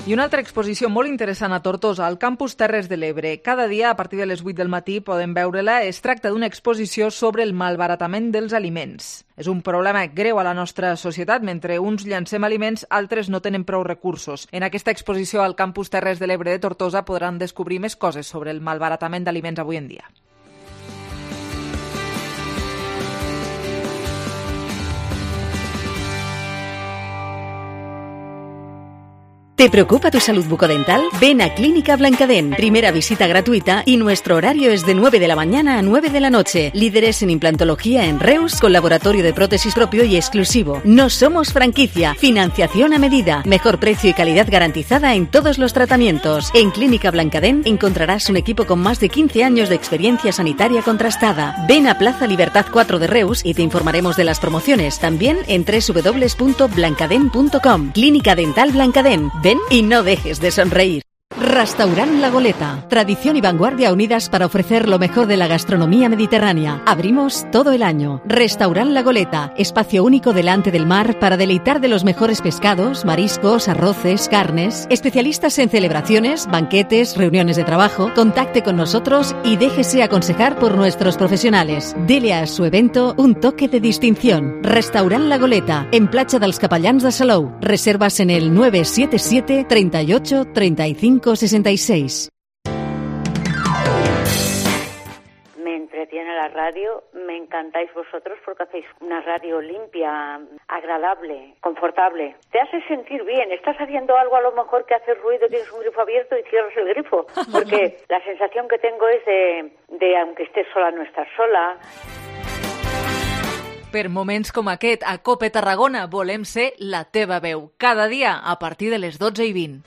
I una altra exposició molt interessant a Tortosa, al campus Terres de l'Ebre. Cada dia, a partir de les vuit del matí, poden veure-la. Es tracta d'una exposició sobre el malbaratament dels aliments. És un problema greu a la nostra societat. Mentre uns llancem aliments, altres no tenen prou recursos. En aquesta exposició al campus Terres de l'Ebre de Tortosa podran descobrir més coses sobre el malbaratament d'aliments avui en dia. ¿Te preocupa tu salud bucodental? Ven a Clínica Blancadent. Primera visita gratuita y nuestro horario es de nueve de la mañana a nueve de la noche. Líderes en implantología en Reus, con laboratorio de prótesis propio y exclusivo. No somos franquicia. Financiación a medida. Mejor precio y calidad garantizada en todos los tratamientos. En Clínica Blancadent encontrarás un equipo con más de quince años de experiencia sanitaria contrastada. Ven a Plaza Libertad cuatro de Reus y te informaremos de las promociones. También en doble u doble u doble u punto blancadent punto com. Clínica Dental Blancadent. Ven y no dejes de sonreír. Restaurant La Goleta. Tradición y vanguardia unidas para ofrecer lo mejor de la gastronomía mediterránea. Abrimos todo el año. Restaurant La Goleta. Espacio único delante del mar para deleitar de los mejores pescados, mariscos, arroces, carnes. Especialistas en celebraciones, banquetes, reuniones de trabajo. Contacte con nosotros y déjese aconsejar por nuestros profesionales. Dele a su evento un toque de distinción. Restaurant La Goleta. En Platja dels Capellans de Salou. Reservas en el nueve siete siete, treinta y ocho, treinta y cinco, sesenta y seis. Me entretiene la radio, me encantáis vosotros porque hacéis una radio limpia, agradable, confortable. Te hace sentir bien, estás haciendo algo a lo mejor que hace ruido, tienes un grifo abierto y cierras el grifo, porque la sensación que tengo es de, de aunque estés sola, no estás sola. Per moments com aquest, a COPE Tarragona volem ser la teva veu. Cada dia a partir de les dotze i vint.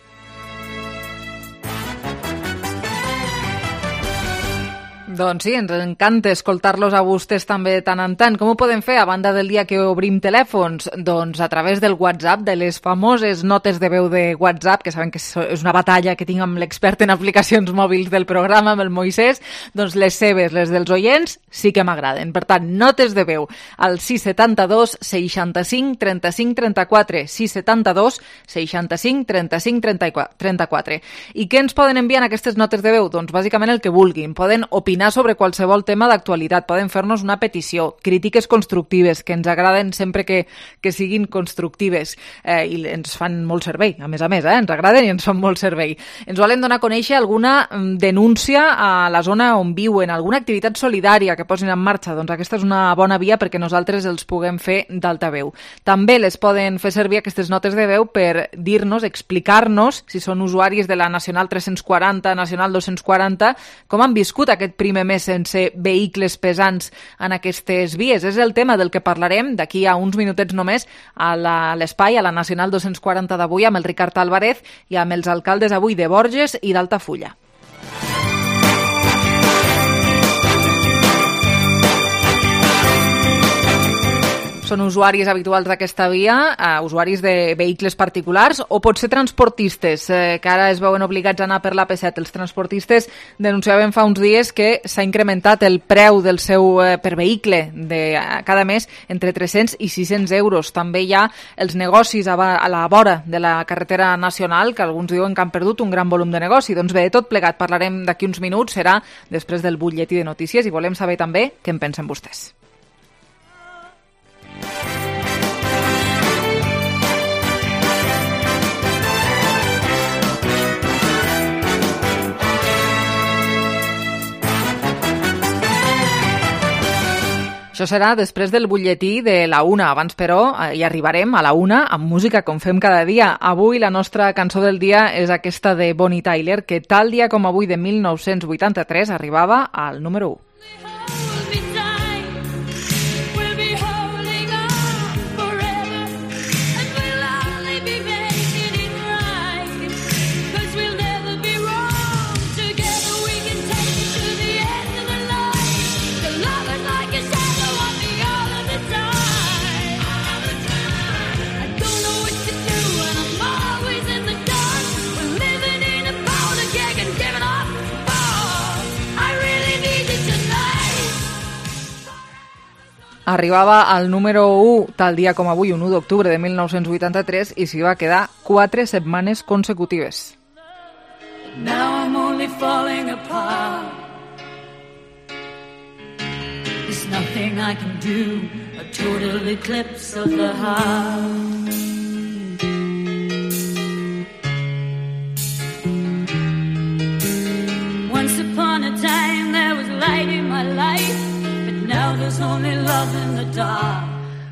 Doncs sí, ens encanta escoltar-los a vostès també tant en tant. Com ho podem fer a banda del dia que obrim telèfons? Doncs a través del WhatsApp, de les famoses notes de veu de WhatsApp, que saben que és una batalla que tinc amb l'expert en aplicacions mòbils del programa, amb el Moisès, doncs les seves, les dels oients, sí que m'agraden. Per tant, notes de veu al sis setanta dos, seixanta-cinc, trenta-cinc, trenta-quatre, sis setanta dos, seixanta-cinc, trenta-cinc, trenta-quatre. I què ens poden enviar en aquestes notes de veu? Doncs bàsicament el que vulguin. Poden opinar sobre qualsevol tema d'actualitat, poden fer-nos una petició, crítiques constructives, que ens agraden sempre que, que siguin constructives, eh, i ens fan molt servei, a més a més, eh? ens agraden i ens fan molt servei. Ens volen donar a conèixer alguna denúncia a la zona on viuen, alguna activitat solidària que posin en marxa, doncs aquesta és una bona via perquè nosaltres els puguem fer d'altaveu. També les poden fer servir aquestes notes de veu per dir-nos, explicar-nos, si són usuaris de la Nacional tres-cents quaranta, Nacional dos-cents quaranta, com han viscut aquest primer mes sense vehicles pesants en aquestes vies. És el tema del que parlarem d'aquí a uns minutets només a l'espai, a la Nacional dos-cents quaranta d'avui, amb el Ricard Álvarez i amb els alcaldes avui de Borges i d'Altafulla. Són usuaris habituals d'aquesta via, eh, usuaris de vehicles particulars o potser transportistes, eh, que ara es veuen obligats a anar per l'A P set. Els transportistes denunciaven fa uns dies que s'ha incrementat el preu del seu eh, per vehicle de cada mes entre tres-cents i sis-cents euros. També hi ha els negocis a, a la vora de la carretera nacional, que alguns diuen que han perdut un gran volum de negoci. Doncs bé, de tot plegat parlarem d'aquí uns minuts, serà després del butlletí de notícies i volem saber també què en pensen vostès. Això serà després del butlletí de la una. Abans, però, hi arribarem a la una amb música, com fem cada dia. Avui la nostra cançó del dia és aquesta de Bonnie Tyler, que tal dia com avui de mil nou-cents vuitanta-tres arribava al número u. Arribava al número u tal dia com avui, un u d'octubre de mil nou-cents vuitanta-tres, i s'hi va quedar quatre setmanes consecutives. Now I'm only falling apart. There's nothing I can do, a total eclipse of the heart. Once upon a time there was light in my life. Now there's only love in the dark.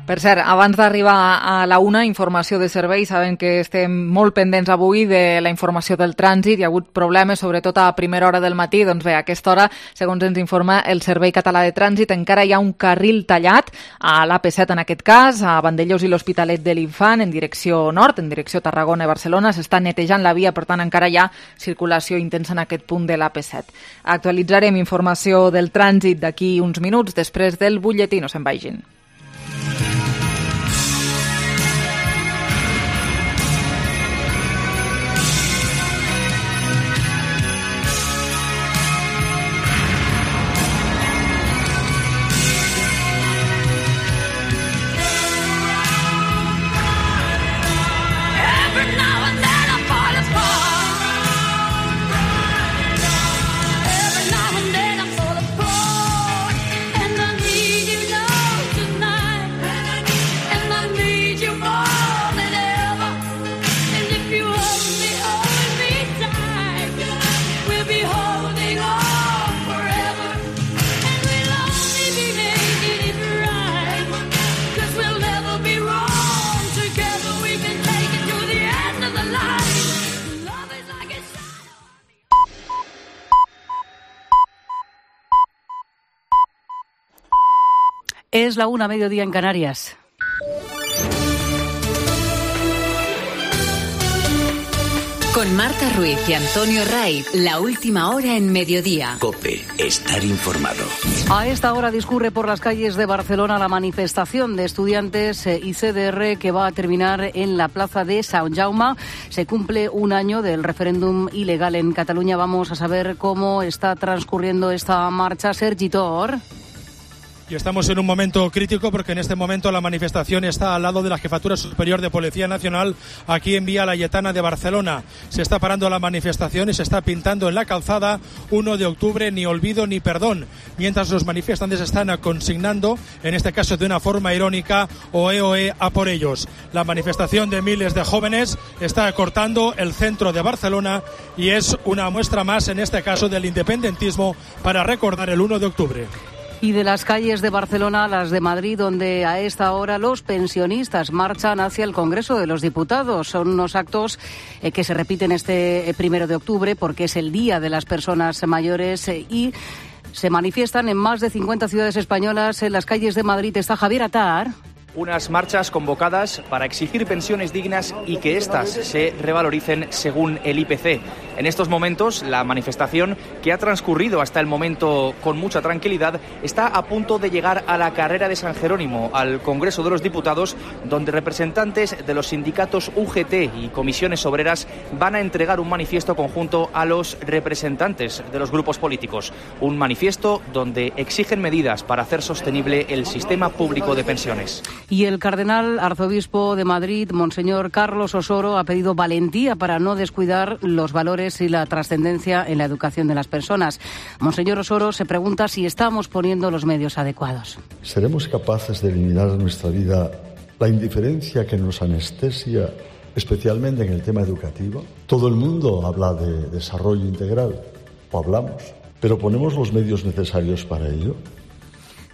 Per cert, abans d'arribar a la una, informació de servei. Saben que estem molt pendents avui de la informació del trànsit. Hi ha hagut problemes, sobretot a primera hora del matí. Doncs bé, a aquesta hora, segons ens informa el Servei Català de Trànsit, encara hi ha un carril tallat a l'A P set en aquest cas, a Vandellòs i l'Hospitalet de l'Infant, en direcció nord, en direcció Tarragona i Barcelona. S'està netejant la via, per tant encara hi ha circulació intensa en aquest punt de l'A P set. Actualitzarem informació del trànsit d'aquí uns minuts, després del butlletí. No se'n vagin. Es la una, mediodía en Canarias. Con Marta Ruiz y Antonio Raiz, la última hora en mediodía. COPE, estar informado. A esta hora discurre por las calles de Barcelona la manifestación de estudiantes y C D R que va a terminar en la plaza de Sant Jaume. Se cumple un año del referéndum ilegal en Cataluña. Vamos a saber cómo está transcurriendo esta marcha. Sergi Tor. Y estamos en un momento crítico porque en este momento la manifestación está al lado de la Jefatura Superior de Policía Nacional aquí en Vía Laietana de Barcelona. Se está parando la manifestación y se está pintando en la calzada uno de octubre, ni olvido ni perdón, mientras los manifestantes están consignando, en este caso de una forma irónica, oe oe a por ellos. La manifestación de miles de jóvenes está cortando el centro de Barcelona y es una muestra más, en este caso, del independentismo para recordar el uno de octubre. Y de las calles de Barcelona a las de Madrid, donde a esta hora los pensionistas marchan hacia el Congreso de los Diputados. Son unos actos eh, que se repiten este eh, primero de octubre porque es el Día de las Personas Mayores eh, y se manifiestan en más de cincuenta ciudades españolas. En las calles de Madrid está Javier Atar. Unas marchas convocadas para exigir pensiones dignas y que éstas se revaloricen según el I P C. En estos momentos, la manifestación, que ha transcurrido hasta el momento con mucha tranquilidad, está a punto de llegar a la carrera de San Jerónimo, al Congreso de los Diputados, donde representantes de los sindicatos U G T y comisiones obreras van a entregar un manifiesto conjunto a los representantes de los grupos políticos. Un manifiesto donde exigen medidas para hacer sostenible el sistema público de pensiones. Y el cardenal arzobispo de Madrid, Monseñor Carlos Osoro, ha pedido valentía para no descuidar los valores y la trascendencia en la educación de las personas. Monseñor Osoro se pregunta si estamos poniendo los medios adecuados. ¿Seremos capaces de eliminar en nuestra vida la indiferencia que nos anestesia, especialmente en el tema educativo? Todo el mundo habla de desarrollo integral, o hablamos, pero ¿ponemos los medios necesarios para ello?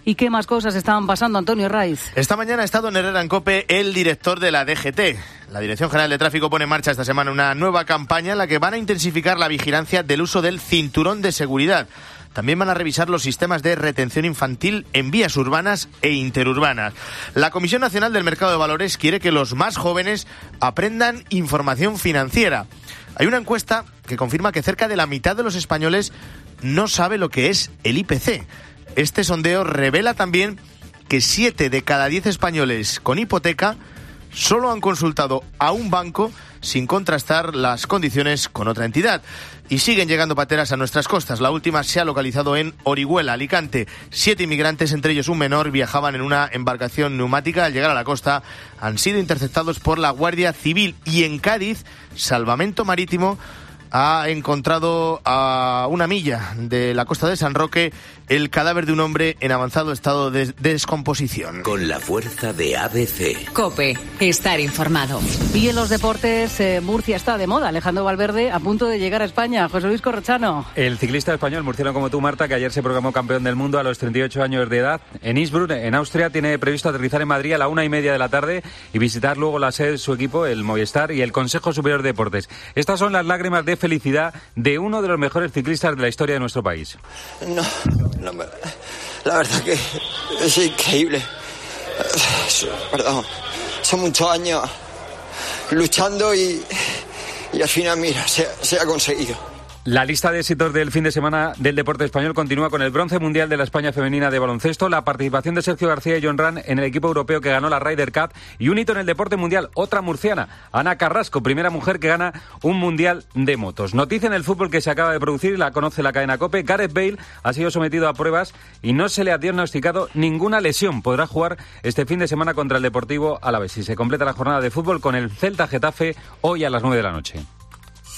¿Y qué más cosas estaban pasando, Antonio Raiz? Esta mañana ha estado en Herrera en COPE el director de la D G T. La Dirección General de Tráfico pone en marcha esta semana una nueva campaña en la que van a intensificar la vigilancia del uso del cinturón de seguridad. También van a revisar los sistemas de retención infantil en vías urbanas e interurbanas. La Comisión Nacional del Mercado de Valores quiere que los más jóvenes aprendan información financiera. Hay una encuesta que confirma que cerca de la mitad de los españoles no sabe lo que es el I P C. Este sondeo revela también que siete de cada diez españoles con hipoteca solo han consultado a un banco sin contrastar las condiciones con otra entidad. Y siguen llegando pateras a nuestras costas. La última se ha localizado en Orihuela, Alicante. Siete inmigrantes, entre ellos un menor, viajaban en una embarcación neumática. Al llegar a la costa han sido interceptados por la Guardia Civil. Y en Cádiz, Salvamento Marítimo ha encontrado a una milla de la costa de San Roque el cadáver de un hombre en avanzado estado de descomposición. Con la fuerza de A B C. COPE, estar informado. Y en los deportes, eh, Murcia está de moda. Alejandro Valverde a punto de llegar a España. José Luis Corrochano. El ciclista español, murciano como tú, Marta, que ayer se proclamó campeón del mundo a los treinta y ocho años de edad en Innsbruck, en Austria, tiene previsto aterrizar en Madrid a la una y media de la tarde y visitar luego la sede de su equipo, el Movistar, y el Consejo Superior de Deportes. Estas son las lágrimas de felicidad de uno de los mejores ciclistas de la historia de nuestro país. No, no me... La verdad que es increíble. Perdón, son muchos años luchando y, y al final, mira, se, se ha conseguido. La lista de éxitos del fin de semana del deporte español continúa con el bronce mundial de la España femenina de baloncesto, la participación de Sergio García y John Ran en el equipo europeo que ganó la Ryder Cup y un hito en el deporte mundial, otra murciana, Ana Carrasco, primera mujer que gana un mundial de motos. Noticia en el fútbol que se acaba de producir y la conoce la cadena COPE. Gareth Bale ha sido sometido a pruebas y no se le ha diagnosticado ninguna lesión. Podrá jugar este fin de semana contra el Deportivo Alavés y se completa la jornada de fútbol con el Celta Getafe hoy a las nueve de la noche.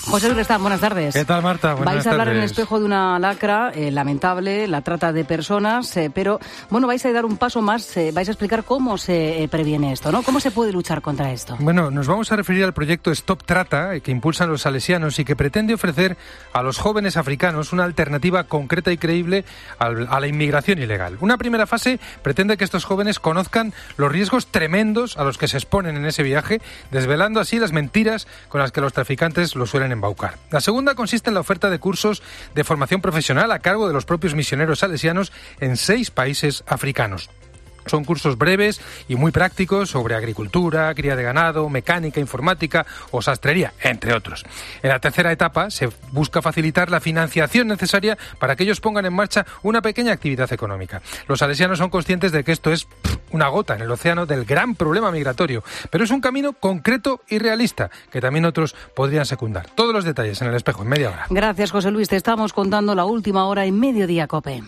José Luis Restán, buenas tardes. ¿Qué tal, Marta? Buenas vais a hablar tardes. en el espejo de una lacra eh, lamentable, la trata de personas, eh, pero bueno, vais a dar un paso más, eh, vais a explicar cómo se eh, previene esto, ¿no? ¿Cómo se puede luchar contra esto? Bueno, nos vamos a referir al proyecto Stop Trata, eh, que impulsan los salesianos y que pretende ofrecer a los jóvenes africanos una alternativa concreta y creíble al, a la inmigración ilegal. Una primera fase pretende que estos jóvenes conozcan los riesgos tremendos a los que se exponen en ese viaje, desvelando así las mentiras con las que los traficantes los suelen embaucar. La segunda consiste en la oferta de cursos de formación profesional a cargo de los propios misioneros salesianos en seis países africanos. Son cursos breves y muy prácticos sobre agricultura, cría de ganado, mecánica, informática o sastrería, entre otros. En la tercera etapa se busca facilitar la financiación necesaria para que ellos pongan en marcha una pequeña actividad económica. Los salesianos son conscientes de que esto es pff, una gota en el océano del gran problema migratorio, pero es un camino concreto y realista que también otros podrían secundar. Todos los detalles en El Espejo en media hora. Gracias, José Luis. Te estamos contando la última hora en Mediodía COPE.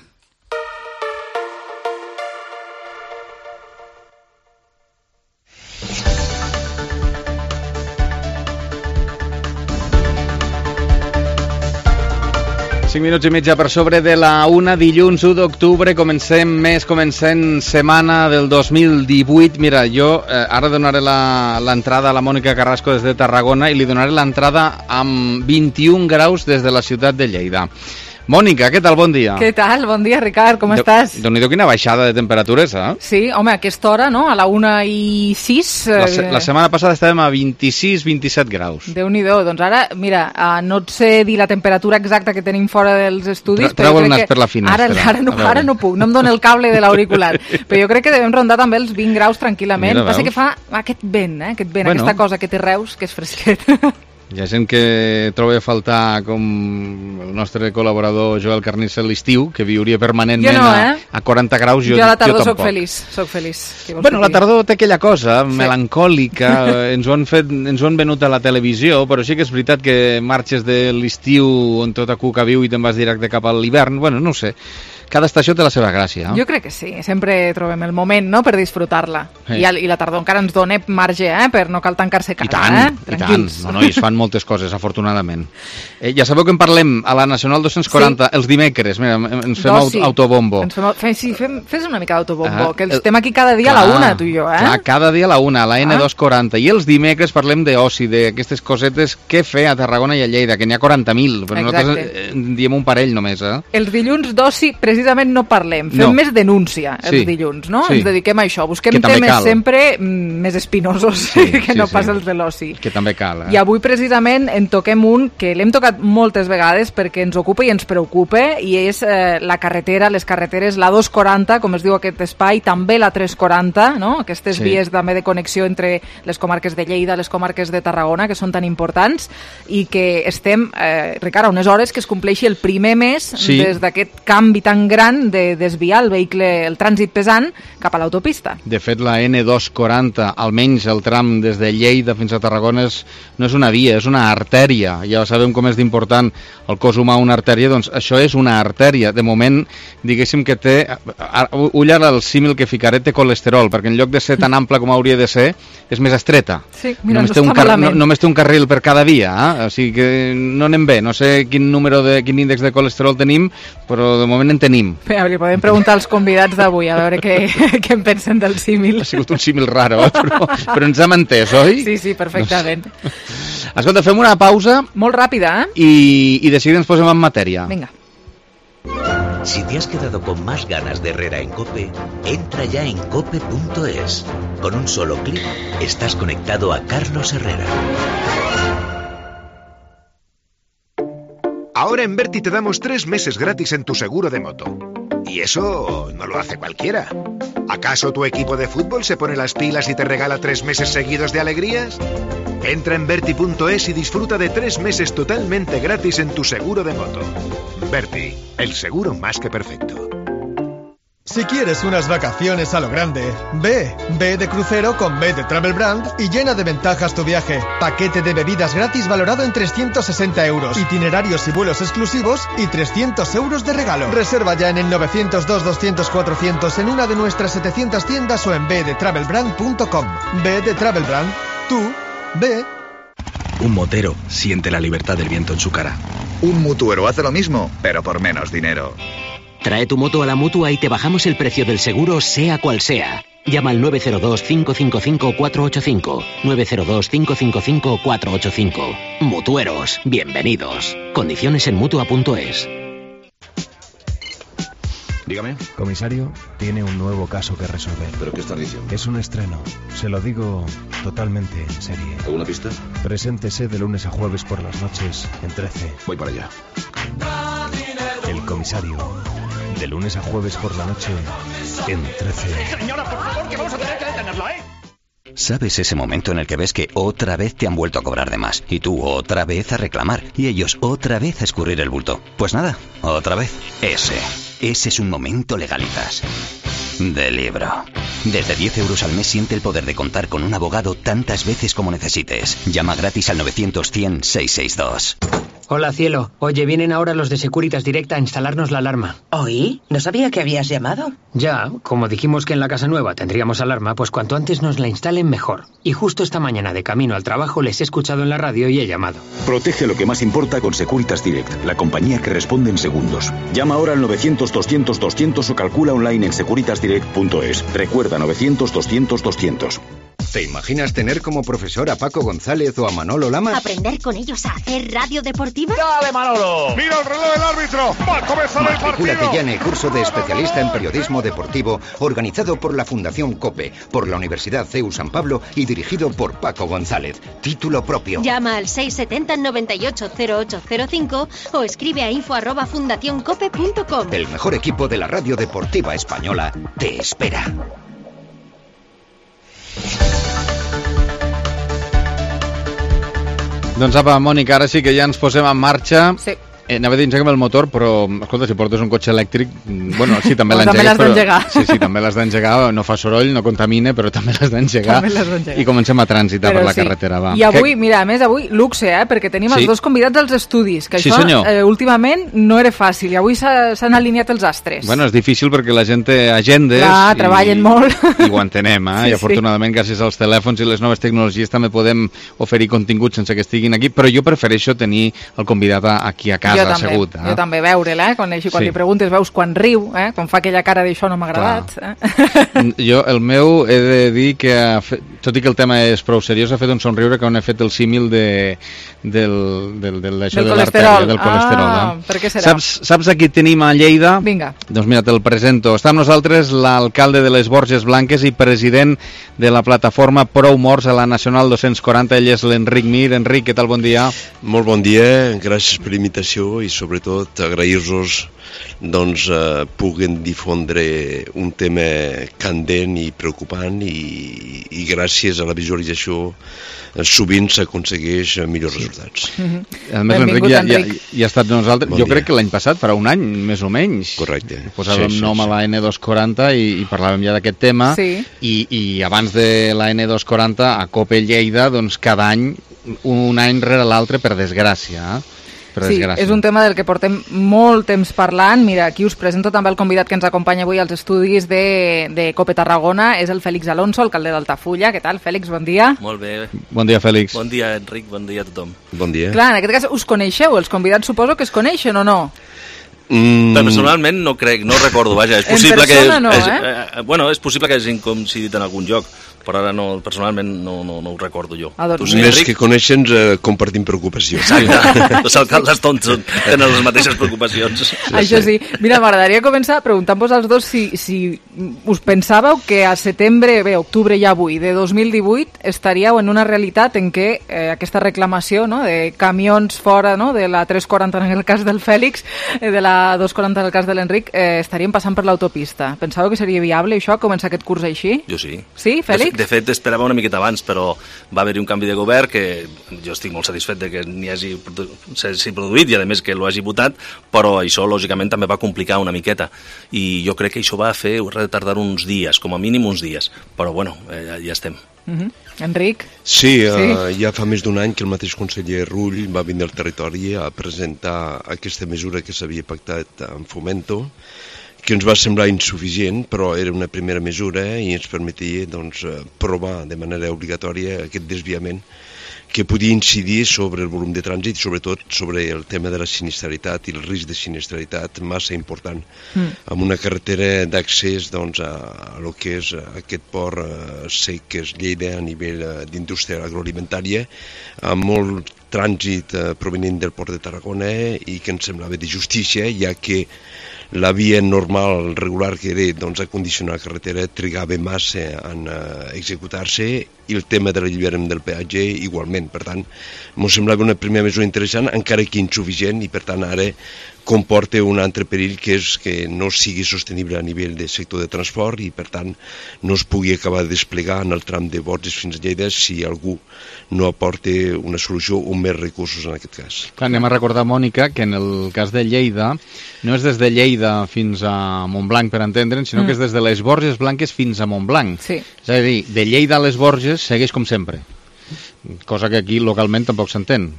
cinc minuts i mitja per sobre de la una, dilluns u d'octubre, comencem mes, comencem setmana del dos mil divuit. Mira, jo eh, ara donaré l'entrada a la Mònica Carrasco des de Tarragona i li donaré l'entrada amb vint-i-un graus des de la ciutat de Lleida. Mònica, què tal? Bon dia. Què tal? Bon dia, Ricard, com de, estàs? Déu-n'hi-do quina baixada de temperatures, eh? Sí, home, a aquesta hora, no? A la una i sis... Eh... La, la setmana passada estàvem a vint-i-sis vint-i-set graus. Déu-n'hi-do, doncs ara, mira, uh, no et sé dir la temperatura exacta que tenim fora dels estudis, Tra Treu el nas per la finestra. Ara, ara, no, ara no puc, no em dóna el cable de l'auricular, però jo crec que devem rondar també els vint graus tranquil·lament. Mira, passa que fa aquest vent, eh? Aquest vent, bueno. Aquesta cosa que té Reus, que és fresquet. Hi ha gent que troba a faltar, com el nostre col·laborador Joel Carnicer, l'estiu, que viuria permanentment no, eh? a, a quaranta graus. Jo, jo a la tardor soc feliç, soc feliç. Bueno, la tardor té aquella cosa sí. melancòlica, ens ho, han fet, ens ho han venut a la televisió, però sí que és veritat que marxes de l'estiu on tot a cuca viu i te'n vas directe cap a l'hivern, bueno, no ho sé. Cada estació té la seva gràcia. Jo crec que sí, sempre trobem el moment, no?, per disfrutar-la. Sí. I, I la tardor encara ens dona marge, eh?, per no cal tancar-se casa, I tant, eh? Tranquils. I tant. No, no, i es fan moltes coses, afortunadament. Eh, ja sabeu que en parlem a la Nacional dos-cents quaranta, sí. els dimecres, mira, ens fem Dos, sí. autobombo. Ens fem, fem, sí, fem, fes una mica d'autobombo, ah, que el, estem aquí cada dia clar, a la una, tu i jo, eh? Clar, cada dia a la una, a la N dos quaranta. I els dimecres parlem d'oci, d'aquestes cosetes que fer a Tarragona i a Lleida, que n'hi ha quaranta mil, però Exacte. nosaltres eh, diem un parell només, eh? Els dilluns d'oci, precisament, no parlem. Fem no. més denúncia els sí. dilluns, no? Sí. Ens dediquem a això. Busquem temes cal. sempre mm, més espinosos sí, que sí, no sí. pas els de l'oci. Que també cal, eh? I avui precisament en toquem un que l'hem tocat moltes vegades perquè ens ocupa i ens preocupa, i és eh, la carretera, les carreteres, la dos quaranta, com es diu aquest espai, també la tres quaranta, no? Aquestes sí. vies també de connexió entre les comarques de Lleida, les comarques de Tarragona, que són tan importants, i que estem, eh, Ricard, a unes hores que es compleixi el primer mes sí. des d'aquest canvi tan gran de desviar el vehicle, el trànsit pesant cap a l'autopista. De fet, la N dos quaranta, almenys el tram des de Lleida fins a Tarragona, és, no és una via, és una artèria. Ja sabem com és d'important el cos humà una artèria, doncs això és una artèria. De moment, diguéssim que té, ulla el símil que ficaré, té colesterol, perquè en lloc de ser tan ampla com hauria de ser, és més estreta. Sí, mira, només, no té un car no, només té un carril per cada via, eh? O sigui que no anem bé. No sé quin número de, quin índex de colesterol tenim, però de moment en tenim. Bé, li podem preguntar als convidats d'avui, a veure què, què en pensen del símil. Ha sigut un símil raro, eh? però, però ens hem entès, oi? Sí, sí, perfectament. No sé. Escolta, fem una pausa. Molt ràpida, eh? I, i de seguida ens posem en matèria. Vinga. Si te has quedado con más ganas de Herrera en COPE, entra ya en cope punto es. Con un solo clic estás conectado a Carlos Herrera. Ahora en Berti te damos tres meses gratis en tu seguro de moto. Y eso no lo hace cualquiera. ¿Acaso tu equipo de fútbol se pone las pilas y te regala tres meses seguidos de alegrías? Entra en Berti punto es y disfruta de tres meses totalmente gratis en tu seguro de moto. Berti, el seguro más que perfecto. Si quieres unas vacaciones a lo grande, ve, ve de crucero con B de Travel Brand y llena de ventajas tu viaje. Paquete de bebidas gratis valorado en trescientos sesenta euros, itinerarios y vuelos exclusivos y trescientos euros de regalo. Reserva ya en el novecientos dos, doscientos, cuatrocientos en una de nuestras setecientas tiendas o en b de travel brand punto com. B de Travel Brand, tú, ve. Un motero siente la libertad del viento en su cara. Un mutuero hace lo mismo, pero por menos dinero. Trae tu moto a la Mutua y te bajamos el precio del seguro, sea cual sea. Llama al nueve cero dos, cinco cinco cinco, cuatro ocho cinco. nueve cero dos, cinco cinco cinco, cuatro ocho cinco. Mutueros, bienvenidos. Condiciones en mutua punto es. Dígame. Comisario, tiene un nuevo caso que resolver. ¿Pero qué estás diciendo? Es un estreno. Se lo digo totalmente en serie. ¿Alguna pista? Preséntese de lunes a jueves por las noches en trece. Voy para allá. El comisario. De lunes a jueves por la noche en trece. Señora, por favor, que vamos a tener que detenerla, ¿eh? ¿Sabes ese momento en el que ves que otra vez te han vuelto a cobrar de más? Y tú otra vez a reclamar. Y ellos otra vez a escurrir el bulto. Pues nada, otra vez. Ese. Ese es un momento Legalitas. De libro. Desde diez euros al mes siente el poder de contar con un abogado tantas veces como necesites. Llama gratis al novecientos cien seiscientos sesenta y dos. Hola, cielo. Oye, vienen ahora los de Securitas Direct a instalarnos la alarma. ¿Oí? No sabía que habías llamado. Ya, como dijimos que en la casa nueva tendríamos alarma, pues cuanto antes nos la instalen mejor. Y justo esta mañana de camino al trabajo les he escuchado en la radio y he llamado. Protege lo que más importa con Securitas Direct, la compañía que responde en segundos. Llama ahora al novecientos doscientos doscientos o calcula online en securitas direct punto es. Recuerda novecientos doscientos doscientos. ¿Te imaginas tener como profesor a Paco González o a Manolo Lama? ¿Aprender con ellos a hacer radio deportiva? ¡Dale, Manolo! ¡Mira el reloj del árbitro! ¡Va a comenzar el partido! Matricúlate ya en el curso de especialista en periodismo deportivo organizado por la Fundación COPE, por la Universidad C E U San Pablo y dirigido por Paco González. Título propio. Llama al seis setenta noventa y ocho cero ocho cero cinco o escribe a info arroba fundacioncope punto com. El mejor equipo de la radio deportiva española te espera. Doncs apa, Mònica, ara sí que ja ens posem en marxa. Sí. Eh, anava a dir engeguem el motor, però, escolta, si portes un cotxe elèctric, bueno, sí, també no, l'engegues, però... Sí, sí, també l'has d'engegar, no fa soroll, no contamina, però també l'has d'engegar. I comencem a trànsitar per la sí. carretera, va. I avui, que... mira, a més, avui, luxe, eh, perquè tenim sí. els dos convidats als estudis, que sí, això eh, últimament no era fàcil, i avui s'han alineat els astres. Bueno, és difícil perquè la gent té agendes. Clar, i... treballen molt. I ho entenem, eh? Sí, I afortunadament, sí. gràcies als telèfons i les noves tecnologies també podem oferir contingut sense que estiguin aquí, però jo prefereixo tenir el convidat aquí a casa, assegut. Eh? També veure'l, eh? Quan, així, quan sí. li preguntes veus quan riu, eh? Quan fa aquella cara d'això no m'ha agradat. Eh? Jo, el meu, he de dir que, fet, tot i que el tema és prou seriós, ha fet un somriure quan he fet el símil de, del, del, del, del de colesterol. Del colesterol ah, eh? Per què serà? Saps, saps a qui tenim a Lleida? Vinga. Doncs mira, te'l presento. Està amb nosaltres l'alcalde de les Borges Blanques i president de la plataforma Prou Morts a la Nacional dos-cents quaranta. Ell és l'Enric Mir. Enric, què tal? Bon dia. Molt bon dia, gràcies per l'invitació i sobretot agrair-vos doncs eh, puguen difondre un tema candent i preocupant i, i gràcies a la visualització eh, sovint s'aconsegueix millors sí. resultats. Mm-hmm. A més, l'Enric ja, ja, ja ha estat nosaltres, bon jo dia. crec que l'any passat, farà un any, més o menys. Correcte. Posàvem sí, sí, nom sí. a la ene dos quaranta i, i parlàvem ja d'aquest tema sí. i, i abans de la ene dos quaranta a COPE Lleida, doncs cada any, un any rere l'altre, per desgràcia, eh? Sí, és un tema del que portem molt temps parlant. Mira, aquí us presento també el convidat que ens acompanya avui als estudis de, de COPE Tarragona. És el Fèlix Alonso, alcalde d'Altafulla. Què tal, Fèlix? Bon dia. Molt bé. Bon dia, Fèlix. Bon dia, Enric. Bon dia a tothom. Bon dia. Clar, en aquest cas us coneixeu? Els convidats suposo que es coneixen o no? Mm. Personalment no crec, no recordo, vaja, és possible en persona que és, no, és, eh? eh? Bueno, és possible que hagin coincidit en algun lloc, però ara no, personalment no, no, no ho recordo jo. Ah, doncs, tu, més que coneixen, eh, compartim preocupacions. Exacte, els alcaldes tonts tenen les mateixes preocupacions. Sí, Això sí. Mira, m'agradaria començar preguntant-vos als dos si, si us pensàveu que a setembre, bé, octubre ja avui, de dos mil divuit, estaríeu en una realitat en què eh, aquesta reclamació, no?, de camions fora, no?, de la tres quaranta en el cas del Fèlix, eh, de la dos quaranta en el cas de l'Enric, eh, estaríem passant per l'autopista. Pensàveu que seria viable això, començar aquest curs així? Jo sí. Sí, Fèlix? De, de fet, esperava una miqueta abans, però va haver-hi un canvi de govern que jo estic molt satisfet de que n'hi hagi s'hagi produït i, a més, que l'ho hagi votat, però això, lògicament, també va complicar una miqueta. I jo crec que això va fer retardar uns dies, com a mínim uns dies. Però, bueno, eh, ja estem. Uh-huh. Enric? Sí, sí. Uh, ja fa més d'un any que el mateix conseller Rull va venir al territori a presentar aquesta mesura que s'havia pactat amb Fomento, que ens va semblar insuficient, però era una primera mesura i ens permetia doncs, provar de manera obligatòria aquest desviament que podia incidir sobre el volum de trànsit i sobretot sobre el tema de la sinistralitat i el risc de sinistralitat massa important, mm. amb una carretera d'accés doncs, a, a lo que és aquest port eh, sec que és Lleida a nivell eh, d'indústria agroalimentària, amb molt trànsit eh, provenint del port de Tarragona i que ens semblava de justícia, ja que la via normal, regular que era doncs, acondicionar la carretera trigava massa en uh, executar-se i el tema de l'alliberament del peatge igualment. totalment. Per tant, m'ho semblava una primera mesura interessant, encara que insuficient, i per tant ara comporta un altre perill, que és que no sigui sostenible a nivell de sector de transport i per tant no es pugui acabar de desplegar en el tram de Borges fins a Lleida si algú no aporta una solució o més recursos en aquest cas. Clar, anem a recordar, Mònica, que en el cas de Lleida no és des de Lleida fins a Montblanc, per entendre'n, sinó mm. que és des de les Borges Blanques fins a Montblanc. Sí. És a dir, de Lleida a les Borges segueix com sempre. Cosa que aquí localment tampoc s'entén.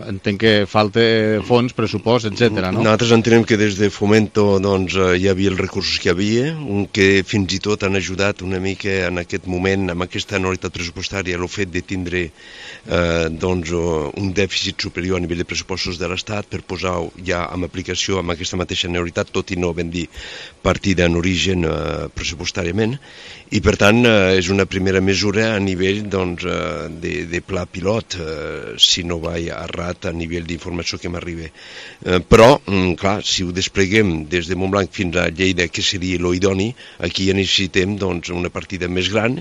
Entenc que falta fons, pressupost, etcètera, no? Nosaltres entenem que des de Fomento doncs, hi havia els recursos que hi havia, que fins i tot han ajudat una mica en aquest moment, amb aquesta anualitat pressupostària, el fet de tindre eh, doncs, un dèficit superior a nivell de pressupostos de l'Estat per posar ja en aplicació amb aquesta mateixa anualitat, tot i no ben dir partida en origen eh, pressupostàriament, i per tant eh, és una primera mesura a nivell doncs, eh, de, de pla pilot, eh, si no va errat a nivell d'informació que m'arriba. Eh, però, mm, clar, si ho despleguem des de Montblanc fins a Lleida, que seria l'idoni, aquí ja necessitem doncs, una partida més gran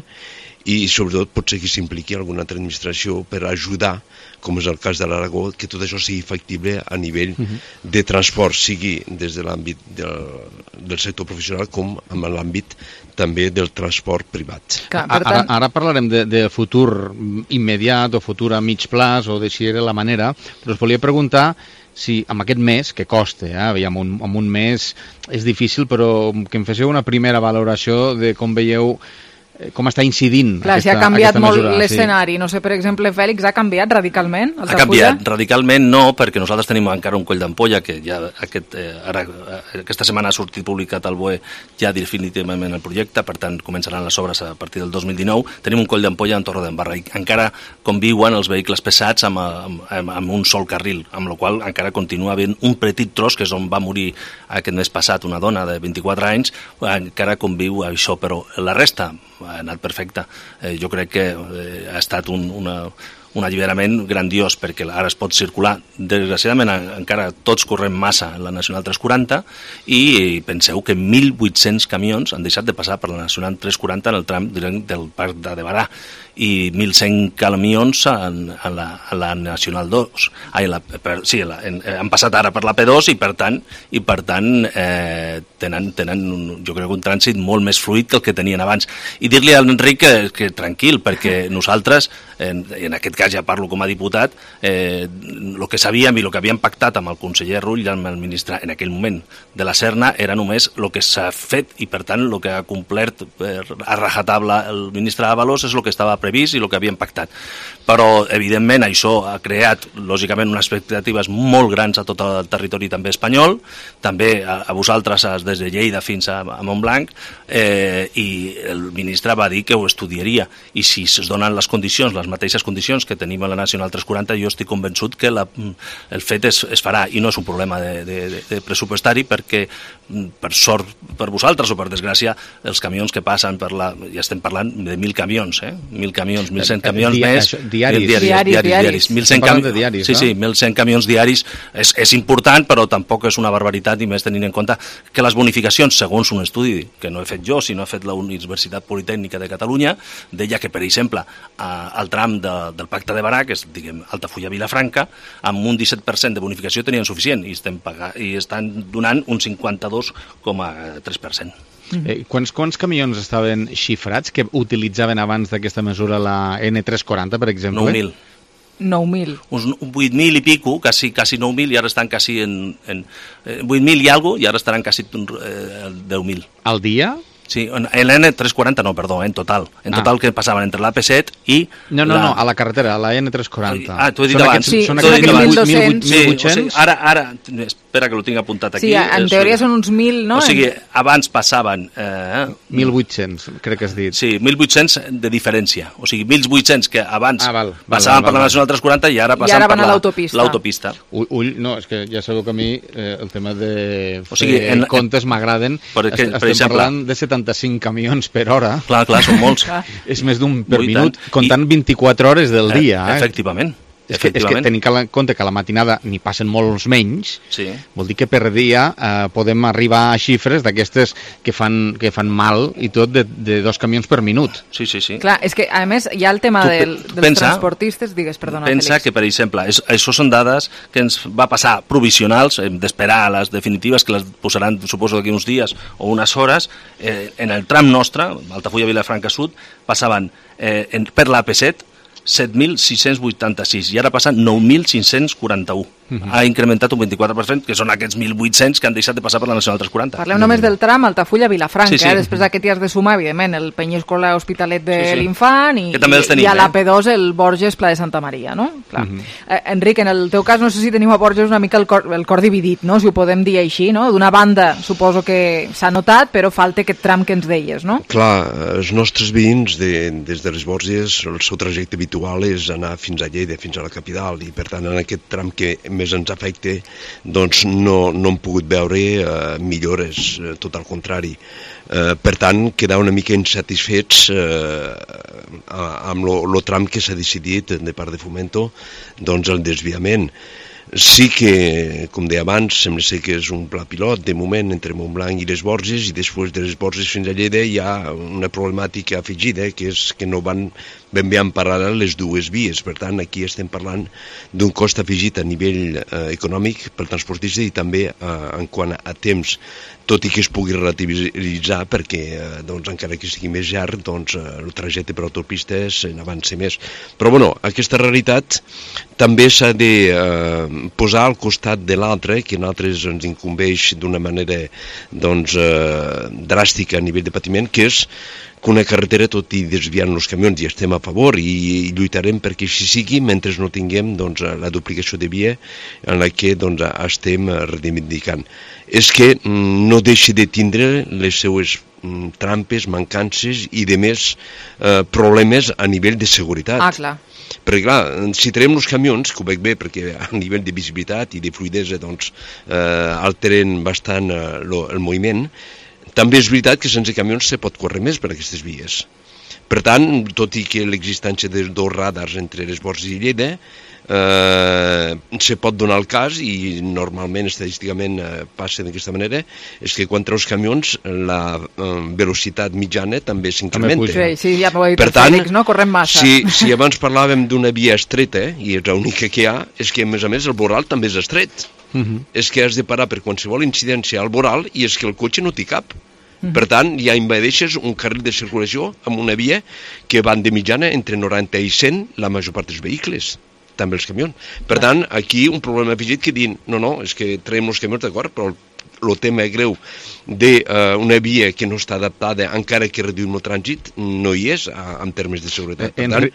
i sobretot potser que s'impliqui alguna altra administració per ajudar, com és el cas de l'Aragó, que tot això sigui factible a nivell uh-huh. de transport, sigui des de l'àmbit del, del sector professional com en l'àmbit també del transport privat. Clar, per tant... ara, ara parlarem de, de futur immediat o futur a mig plaç o de si era la manera, però us volia preguntar si amb aquest mes, que costa, eh, aviam, un, amb un mes és difícil, però que em féssiu una primera valoració de com veieu com està incidint Clar, aquesta, si ha canviat molt mesura, l'escenari. Sí. No sé, per exemple, Fèlix, ha canviat radicalment? Ha canviat radicalment, no, perquè nosaltres tenim encara un coll d'ampolla que ja aquest, eh, ara, aquesta setmana ha sortit publicat al B O E ja definitivament el projecte, per tant començaran les obres a partir del dos mil dinou. Tenim un coll d'ampolla en Torredembarra i encara conviuen els vehicles pesats amb, amb, amb un sol carril, amb la qual encara continua havent un petit tros, que és on va morir aquest mes passat una dona de vint-i-quatre anys, encara conviu això, però la resta ha anat perfecte. Eh, jo crec que eh, ha estat un, una, un alliberament grandiós perquè ara es pot circular. Desgraciadament encara tots correm massa en la Nacional tres quaranta i penseu que mil vuit-cents camions han deixat de passar per la Nacional tres quaranta en el tram del Parc de Barà i mil cent camions en, en, la, en la Nacional dos. Ai, la, per, sí, la, en, han passat ara per la P dos i per tant, i per tant eh, tenen, tenen un, jo crec un trànsit molt més fluid que el que tenien abans. I dir-li a l'Enric que, que tranquil, perquè nosaltres, en, en aquest cas ja parlo com a diputat, eh, el que sabíem i el que havíem pactat amb el conseller Rull i amb el ministre en aquell moment de la Serna era només el que s'ha fet i per tant el que ha complert per, a rajatabla el ministre Ábalos és el que estava previst i el que havíem pactat. Però, evidentment, això ha creat, lògicament, unes expectatives molt grans a tot el territori també espanyol, també a, a vosaltres des de Lleida fins a, a Montblanc, eh, i el ministre va dir que ho estudiaria. I si es donen les condicions, les mateixes condicions que tenim a la Nacional tres quaranta, jo estic convençut que la, el fet es, es farà, i no és un problema de, de, de pressupostari, perquè, per sort per vosaltres o per desgràcia, els camions que passen per la... Ja estem parlant de mil camions, eh? Mil camions, mil cent camions Dia, més... Això, diaris. Diaris, diaris, diaris. diaris. mil cent cam... de diaris, sí, no? Sí, mil cent camions diaris és, és important, però tampoc és una barbaritat, i més tenint en compte que les bonificacions, segons un estudi que no he fet jo, sinó ha fet la Universitat Politècnica de Catalunya, deia que, per exemple, al tram de, del Pacte de Barà, que és, diguem, Altafulla-Vilafranca, amb un disset per cent de bonificació tenien suficient i, estem pagant, i estan donant un cinquanta-dos coma tres per cent. Eh, quants, quants camions estaven xifrats que utilitzaven abans d'aquesta mesura la N tres quaranta, per exemple? nou mil. nou mil. Uns vuit mil i pico, quasi, quasi nou mil, i ara estan quasi en... en eh, vuit mil i alguna cosa, i ara estaran quasi eh, deu mil. Al dia? Sí, en l'N tres quaranta no, perdó, en total. En total ah. que passaven entre l'A P set i... No, no, la... no, a la carretera, a la N tres quaranta. Ah, t'ho he dit són abans. Aquests, sí, són aquests aquests mil vuit-cents? mil vuit-cents? Sí, o sigui, ara, ara, espera que ho tinc apuntat aquí. Sí, en teoria són uns mil, no? O sigui, abans passaven... Eh, mil vuit-cents, crec que has dit. Sí, mil vuit-cents de diferència. O sigui, mil vuit-cents que abans ah, val, val, passaven val, val, per la Nacional tres quaranta i ara passen I ara per l'autopista. l'autopista. Ull, ull, no, és que ja sabeu que a mi eh, el tema de o sigui, fer en, comptes m'agraden. Estem per exemple, parlant de setanta-cinc camions per hora. Clar, clar, són molts. És més d'un per minut, comptant I, vint-i-quatre hores del dia. Eh? Efectivament. És que, és que tenint en compte que a la matinada n'hi passen molts menys, sí. Vol dir que per dia eh, podem arribar a xifres d'aquestes que fan, que fan mal i tot de, de dos camions per minut. Sí, sí, sí. Clar, és que a més hi ha el tema tu, del, dels pensa, transportistes, digues, perdona, pensa Félix. Que, per exemple, és, això són dades que ens va passar provisionals, hem d'esperar les definitives, que les posaran, suposo, d'aquí uns dies o unes hores. Eh, en el tram nostre, Altafulla-Vilafranca Sud, passaven eh, en, per l'A P set set mil sis-cents vuitanta-sis i ara passen nou mil cinc-cents quaranta-u. Uh-huh. Ha incrementat un vint-i-quatre per cent, que són aquests mil vuit-cents que han deixat de passar per la Nacional tres quaranta. Parlem només del tram Altafulla-Vilafranca, sí, sí. Eh? Després d'aquest hi has de sumar, evidentment, el Penyíscola Hospitalet de sí, sí. l'Infant i, tenim, i a l'A P dos el Borges Pla de Santa Maria, no? Clar. Uh-huh. eh, Enric, en el teu cas no sé si teniu a Borges una mica el cor, el cor dividit, no? Si ho podem dir així, no? D'una banda suposo que s'ha notat, però falta aquest tram que ens deies, no? Clar, els nostres veïns de, des de les Borges, el seu trajecte habitual és anar fins a Lleida, fins a la capital, i per tant en aquest tram que més ens afecta doncs no, no hem pogut veure eh, millores, eh, tot al contrari. Eh, per tant, quedar una mica insatisfets eh, amb el tram que s'ha decidit de part de Fomento, doncs el desviament. Sí que, com deia abans, sembla ser que és un pla pilot, de moment, entre Montblanc i les Borges, i després de les Borges fins a Lleida hi ha una problemàtica afegida, que és que no van ben bé en paral·lel les dues vies. Per tant, aquí estem parlant d'un cost afegit a nivell eh, econòmic pel transportista i també eh, en quant a temps, tot i que es pugui relativitzar perquè, eh, doncs, encara que sigui més llarg, doncs, eh, el trajecte per autopistes n'avança més. Però, bueno, aquesta realitat també s'ha de eh, posar al costat de l'altre, que a nosaltres ens incumbeix d'una manera doncs, eh, dràstica a nivell de patiment, que és que una carretera, tot i desviant els camions, i estem a favor i, i lluitarem perquè així sigui mentre no tinguem doncs, la duplicació de via en la que doncs, estem reivindicant. És que mm, no deixi de tindre les seues mm, trampes, mancances i de més eh, problemes a nivell de seguretat. Ah, clar. Perquè clar, si traiem els camions, que ho veig bé perquè a nivell de visibilitat i de fluidesa doncs, eh, alteren bastant eh, lo, el moviment, també és veritat que sense camions se pot córrer més per aquestes vies. Per tant, tot i que l'existència de dos radars entre les Borges i Lleida, eh, se pot donar el cas, i normalment, estadísticament, eh, passa d'aquesta manera, és que quan treus camions la eh, velocitat mitjana també s'incrementa. Sí, sí, ja m'ho ha dit el Fèlix, no? Correm massa. Si, si abans parlàvem d'una via estreta, i és l'única que hi ha, és que a més a més el voral també és estret. Uh-huh. És que has de parar per qualsevol incidència al voral i és que el cotxe no t'hi cap. Uh-huh. Per tant, ja invadeixes un carril de circulació amb una via que van de mitjana entre noranta i cent la major part dels vehicles, també els camions. Per tant, aquí un problema afegit que diuen, no, no, és que traiem els camions d'acord, però el tema greu d'una uh, via que no està adaptada, encara que reduïm el trànsit, no hi és a, en termes de seguretat. Per tant,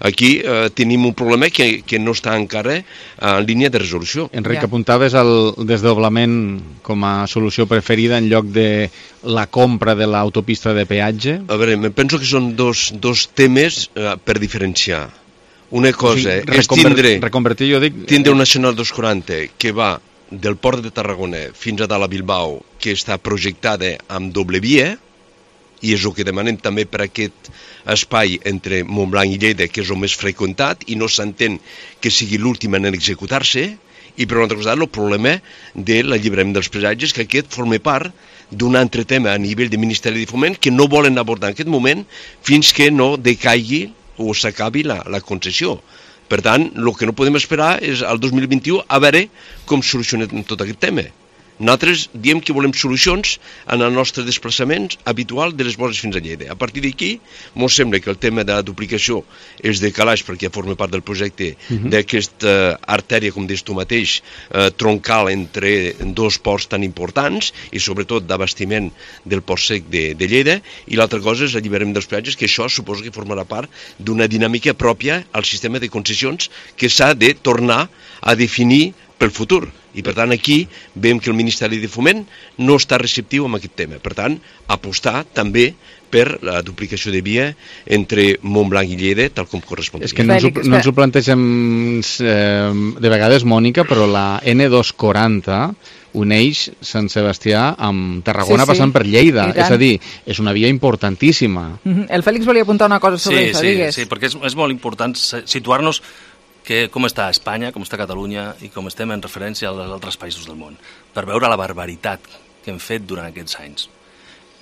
aquí uh, tenim un problema que, que no està encara en línia de resolució. Enric, ja. Apuntaves el desdoblament com a solució preferida en lloc de la compra de l'autopista de peatge? A veure, penso que són dos, dos temes uh, per diferenciar. Una cosa o sigui, és tindre, reconvertir, jo dic... tindre un Nacional dos quaranta que va del port de Tarragona fins a dalt a Bilbao, que està projectada amb doble via, i és el que demanem també per aquest espai entre Montblanc i Lleida, que és el més freqüentat, i no s'entén que sigui l'últim en executar-se, i per una altra cosa, el problema de l'alliberament dels peatges, que aquest forma part d'un altre tema a nivell de Ministeri de Foment que no volen abordar en aquest moment fins que no decaigui o s'acabi la, la concessió. Per tant, el que no podem esperar és al dos mil vint-i-u a veure com solucionem tot aquest tema. Nosaltres diem que volem solucions en el nostre desplaçament habitual de les Borges fins a Lleida. A partir d'aquí, ens sembla que el tema de la duplicació és de calaix perquè forma part del projecte uh-huh. d'aquesta artèria, com dius tu mateix, eh, troncal entre dos ports tan importants i sobretot d'abastiment del port sec de, de Lleida, i l'altra cosa és l'alliberament dels peatges, que això suposo que formarà part d'una dinàmica pròpia al sistema de concessions que s'ha de tornar a definir pel futur. I per tant aquí veiem que el Ministeri de Foment no està receptiu amb aquest tema. Per tant, apostar també per la duplicació de via entre Montblanc i Lleida, tal com correspondria. És que no ens, ho, no ens ho plantegem eh, de vegades, Mònica, però la ene dos quaranta uneix Sant Sebastià amb Tarragona sí, sí. passant per Lleida. És a dir, és una via importantíssima. El Fèlix volia apuntar una cosa sobre sí, això, sí, digues. Sí, perquè és, és molt important situar-nos que com està Espanya, com està Catalunya i com estem en referència als altres països del món, per veure la barbaritat que hem fet durant aquests anys.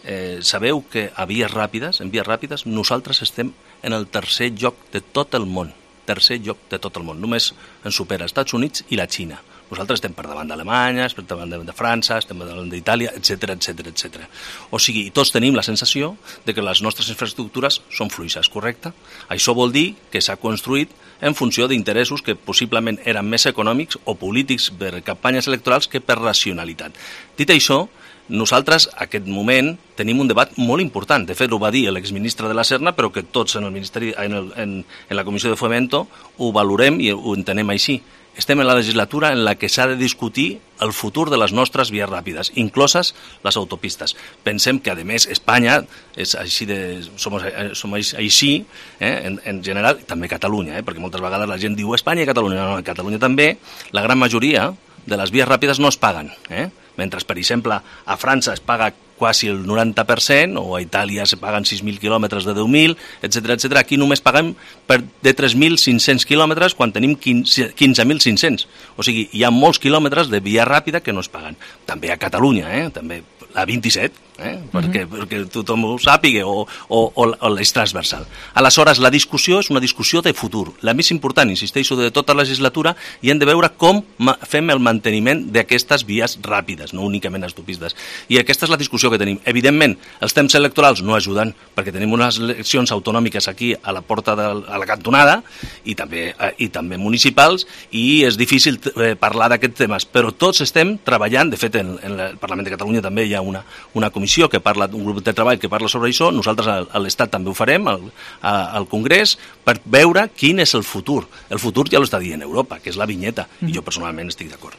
Eh, sabeu que a vies ràpides, en vies ràpides, nosaltres estem en el tercer lloc de tot el món. Tercer lloc de tot el món. Només ens supera els Estats Units i la Xina. Nosaltres estem per davant d'Alemanya, estem per davant de França, estem per davant d'Itàlia, etcètera, etcètera, etcètera. O sigui, tots tenim la sensació de que les nostres infraestructures són fluixes, correcte? Això vol dir que s'ha construït en funció d'interessos que possiblement eren més econòmics o polítics per campanyes electorals que per racionalitat. Dit això, nosaltres, en aquest moment, tenim un debat molt important. De fet, ho va dir l'exministre de la Serna, però que tots en, el Ministeri, en, el, en, en la Comissió de Fomento ho valorem i ho entenem així. Estem en la legislatura en la que s'ha de discutir el futur de les nostres vies ràpides, incloses les autopistes. Pensem que, a més, Espanya és així de, som, som així, eh, en, en general, també Catalunya, eh, perquè moltes vegades la gent diu Espanya i Catalunya. No, no, Catalunya també, la gran majoria de les vies ràpides no es paguen, eh? Mentre, per exemple, a França es paga quasi el noranta per cent, o a Itàlia se paguen sis mil quilòmetres de deu mil, etcètera, etcètera. Aquí només paguem per de tres mil cinc-cents quilòmetres quan tenim quinze mil cinc-cents. O sigui, hi ha molts quilòmetres de via ràpida que no es paguen. També a Catalunya, eh? També la vint-i-set, eh? perquè, uh-huh. perquè tothom ho sàpiga, o, o, o, o l'eix transversal. Aleshores, la discussió és una discussió de futur. La més important, insisteixo, de tota la legislatura, i hem de veure com fem el manteniment d'aquestes vies ràpides, no únicament autopistes. I aquesta és la discussió que tenim. Evidentment, els temps electorals no ajuden, perquè tenim unes eleccions autonòmiques aquí a la porta de a la cantonada, i també, eh, i també municipals, i és difícil eh, parlar d'aquests temes, però tots estem treballant. De fet, en, en el Parlament de Catalunya també hi ha una, una comissió que parla, un grup de treball que parla sobre això. Nosaltres a, a l'Estat també ho farem, al, a, al Congrés, per veure quin és el futur. El futur ja l'està dient Europa, que és la vinyeta, mm. i jo personalment estic d'acord.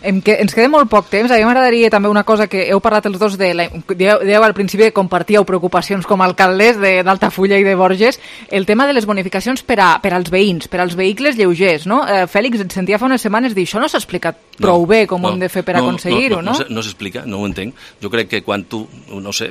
Em que, ens queda molt poc temps. A mi m'agradaria també una cosa que heu parlat els dos de la, dieu, dieu al principi que compartíeu preocupacions com a alcaldes d'Altafulla i de Borges, el tema de les bonificacions per, a, per als veïns, per als vehicles lleugers, no? Eh, Fèlix, et sentia fa unes setmanes dir això no s'ha explicat prou no, bé com no, ho hem de fer per no, aconseguir-ho, no? No, no, no s'explica, no ho entenc. Jo crec que quan tu, no sé,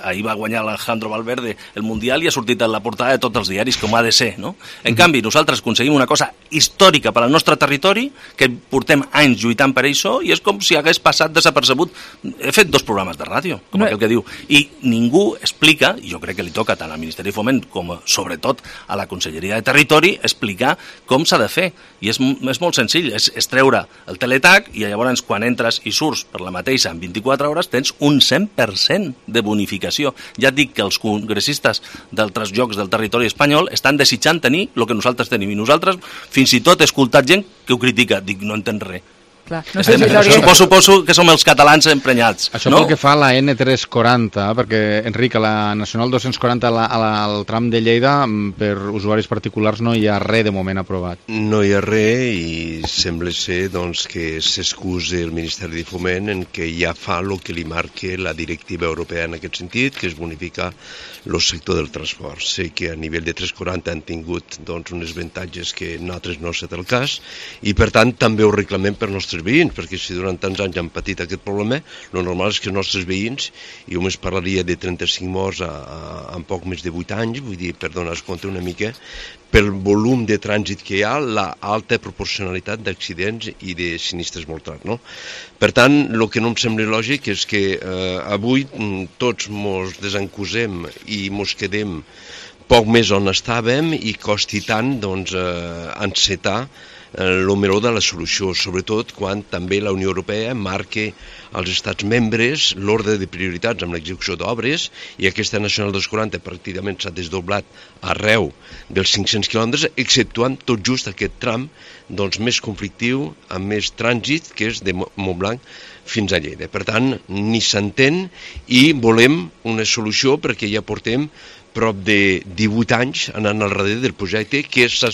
ahir va guanyar l'Alejandro Valverde el Mundial i ha sortit a la portada de tots els diaris com ha de ser, no? En mm. canvi, nosaltres aconseguim una cosa històrica per al nostre territori, que portem anys lluitant per això, i és com si hagués passat desapercebut. He fet dos programes de ràdio, com no. aquell que diu, i ningú explica, i jo crec que li toca tant al Ministeri de Foment com sobretot a la Conselleria de Territori, explicar com s'ha de fer. I és, és molt senzill, és, és treure el teletac, i llavors quan entres i surts per la mateixa en vint-i-quatre hores tens un cent per cent de bonificació. Ja et dic que els congressistes d'altres llocs del territori espanyol estan desitjant tenir el que nosaltres tenim, i nosaltres fins i tot he escoltat gent que ho critica. Dic, no entén res. Clar. No sé si suposo, suposo que som els catalans emprenyats. Això no? pel que fa a la ene tres quaranta, perquè, Enric, a la Nacional dos-cents quaranta, a la, a la, al tram de Lleida, per usuaris particulars no hi ha res de moment aprovat. No hi ha res, i sembla ser doncs, que s'excusa el Ministeri de Foment en que ja fa el que li marca la directiva europea en aquest sentit, que és bonificar el sector del transport. Sé que a nivell de tres quaranta han tingut doncs, uns avantatges que nosaltres no ha estat el cas, i per tant també ho reclamem per nostres veïns, perquè si durant tants anys han patit aquest problema, el normal és que els nostres veïns, i només parlaria de trenta-cinc morts a, a, en poc més de vuit anys, vull dir, per donar-nos compte una mica, pel volum de trànsit que hi ha, la alta proporcionalitat d'accidents i de sinistres mortals, no? Per tant, el que no em sembla lògic és que eh, avui tots mos desencusem i mos quedem poc més on estàvem i costi tant doncs, eh, encetar el meló de la solució, sobretot quan també la Unió Europea marca als estats membres l'ordre de prioritats amb l'execució d'obres, i aquesta Nacional dos quaranta pràcticament s'ha desdoblat arreu dels cinc-cents quilòmetres, exceptuant tot just aquest tram doncs, més conflictiu, amb més trànsit, que és de Montblanc fins a Lleida. Per tant, ni s'entén, i volem una solució perquè ja portem prop de divuit anys anant al darrere del projecte que s'ha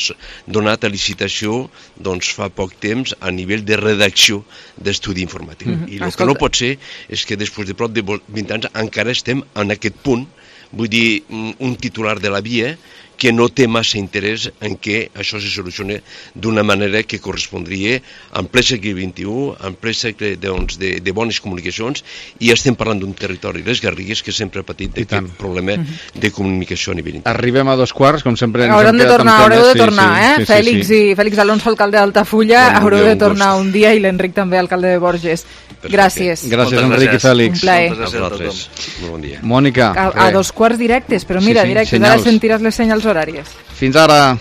donat a licitació doncs, fa poc temps a nivell de redacció d'estudi informatiu. Mm-hmm. I el Escolta. que no pot ser és que després de prop de vint anys encara estem en aquest punt, vull dir, un titular de la via que no té massa interès en què això se solucioni d'una manera que correspondria en ple segle vint-i-u, en ple segle doncs, de, de bones comunicacions, i estem parlant d'un territori, les Garrigues, que sempre ha patit aquest problema de comunicació a nivell internacional. Arribem a dos quarts, com sempre ens Haurem hem de quedat tornar, amb haureu de temes. tornar, sí, eh? sí, sí, Fèlix sí. i Fèlix Alonso, alcalde d'Altafulla, Bon haureu dia, de un tornar gust. un dia, i l'Enric també, alcalde de Borges. Gràcies. Gràcies, Enric i Fèlix. Un plaer. A vosaltres. Molt bon dia. Mònica. A, a dos quarts directes, però mira, Sí, sí, directes, senyals. ara sentiràs les senyals horàries. Fins ara.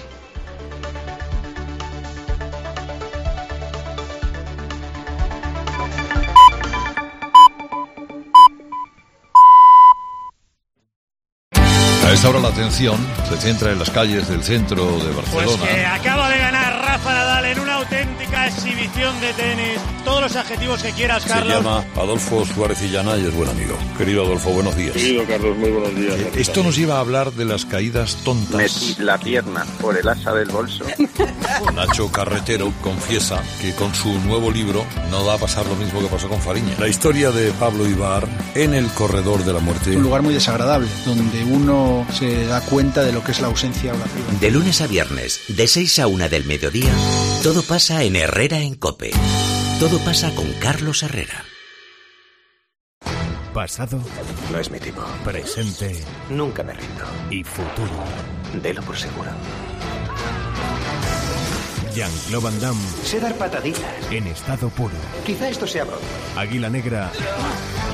A esta hora la atención se centra en las calles del centro de Barcelona. Pues que acaba de ganar Rafa Nadal en una auténtica exhibición de tenis. Todos los adjetivos que quieras, Carlos. Se llama Adolfo Suárez Illana y es buen amigo. Querido Adolfo, buenos días. Querido Carlos, muy buenos días. Eh, Esto nos lleva a hablar de las caídas tontas. Metí la pierna por el asa del bolso. Nacho Carretero confiesa que con su nuevo libro no va a pasar lo mismo que pasó con Fariña. La historia de Pablo Ibar en el corredor de la muerte. Es un lugar muy desagradable, donde uno se da cuenta de lo que es la ausencia orativa. De lunes a viernes, de seis a una del mediodía, todo pasa en Herrera en COPE. Todo pasa con Carlos Herrera. Pasado. No es mi tipo. Presente. Nunca me rindo. Y futuro. Delo por seguro. Jean-Claude Van Damme. Sé dar pataditas. En estado puro. Quizá esto sea broma. Águila Negra.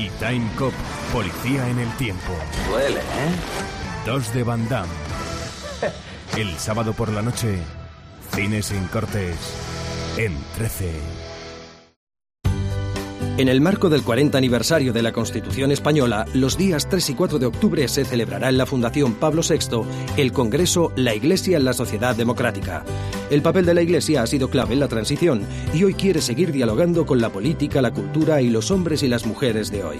Y Time Cop. Policía en el tiempo. Duele, ¿eh? Dos de Van Damme. El sábado por la noche. Cine sin cortes. En trece. En el marco del cuarenta aniversario de la Constitución Española, los días tres y cuatro de octubre se celebrará en la Fundación Pablo sexto el Congreso La Iglesia en la Sociedad Democrática. El papel de la Iglesia ha sido clave en la transición y hoy quiere seguir dialogando con la política, la cultura y los hombres y las mujeres de hoy.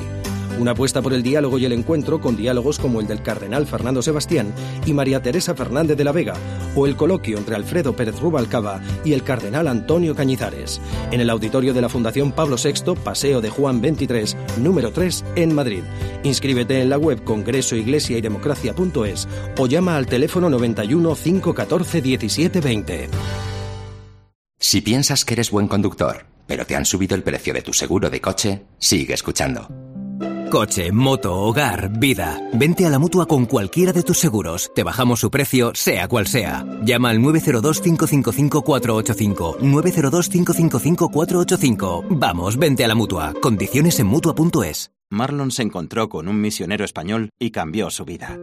Una apuesta por el diálogo y el encuentro con diálogos como el del cardenal Fernando Sebastián y María Teresa Fernández de la Vega, o el coloquio entre Alfredo Pérez Rubalcaba y el cardenal Antonio Cañizares, en el auditorio de la Fundación Pablo sexto, Paseo de Juan veintitrés, número tres, en Madrid. Inscríbete en la web congreso iglesia y democracia punto es o llama al teléfono noventa y uno, cinco catorce, diecisiete veinte. Si piensas que eres buen conductor, pero te han subido el precio de tu seguro de coche, sigue escuchando. Coche, moto, hogar, vida. Vente a la Mutua con cualquiera de tus seguros. Te bajamos su precio, sea cual sea. Llama al nueve cero dos, cinco cinco cinco, cuatro ocho cinco. nueve cero dos, cinco cinco cinco, cuatro ocho cinco. Vamos, vente a la Mutua. Condiciones en Mutua punto es. Marlon se encontró con un misionero español y cambió su vida.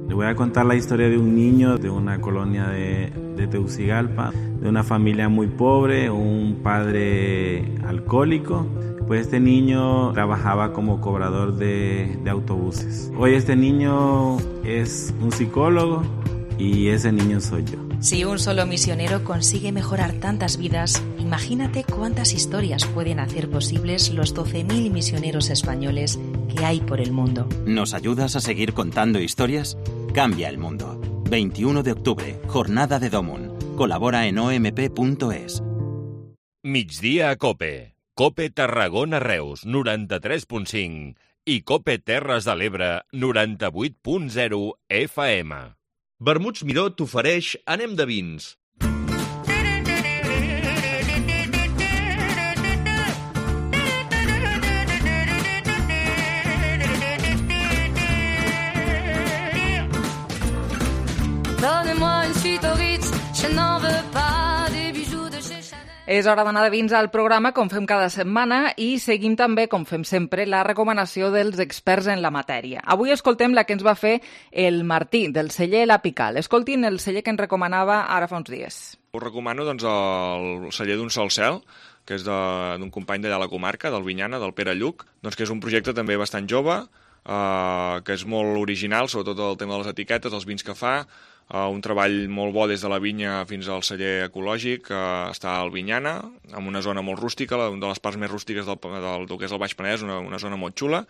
Le voy a contar la historia de un niño de una colonia de, de Tegucigalpa, de una familia muy pobre, un padre alcohólico. Pues este niño trabajaba como cobrador de, de autobuses. Hoy este niño es un psicólogo y ese niño soy yo. Si un solo misionero consigue mejorar tantas vidas, imagínate cuántas historias pueden hacer posibles los doce mil misioneros españoles que hay por el mundo. ¿Nos ayudas a seguir contando historias? Cambia el mundo. veintiuno de octubre, Jornada de Domun. Colabora en o m p punto es. Migdia a COPE. COPE Tarragona Reus, noranta-tres punt cinc i COPE Terres de l'Ebre, noranta-vuit punt zero F M. Vermuts Miró t'ofereix Anem de vins. Donnez-moi une suite au Ritz, je n'en veux pas des bijoux de chez Chanel. És hora d'anar de vins al programa, com fem cada setmana, i seguim també, com fem sempre, la recomanació dels experts en la matèria. Avui escoltem la que ens va fer el Martí, del celler La Pical. Escoltin el celler que ens recomanava ara fa uns dies. Us recomano doncs, el celler d'un sol cel, que és d'un company d'allà a la comarca, del Vinyana, del Pere Lluc, doncs, que és un projecte també bastant jove, eh, que és molt original, sobretot el tema de les etiquetes, els vins que fa, Uh, un treball molt bo des de la vinya fins al celler ecològic, uh, està al Vinyana, en una zona molt rústica, una de les parts més rústiques del, del, del que és el Baix Penedès, una, una zona molt xula,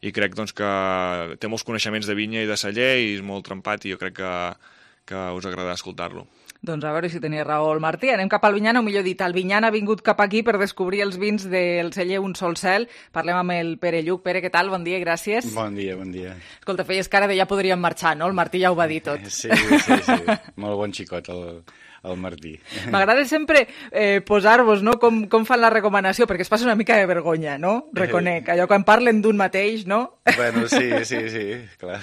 i crec doncs, que té molts coneixements de vinya i de celler, i és molt trempat, i jo crec que, que us agradarà escoltar-lo. Doncs a veure si tenia raó el Martí. Anem cap al Vinyana, o millor dit, el Vinyana ha vingut cap aquí per descobrir els vins del celler Un Sol Cel. Parlem amb el Pere Lluc. Pere, què tal? Bon dia i gràcies. Bon dia, bon dia. Escolta, feies cara de ja podríem marxar, no? El Martí ja ho va dir tot. Sí, sí, sí. Molt bon xicot, el, el Martí. M'agrada sempre eh, posar-vos, no?, com, com fan la recomanació, perquè es passa una mica de vergonya, no? Reconec. Allò quan parlen d'un mateix, no? Bueno, sí, sí, sí, clar.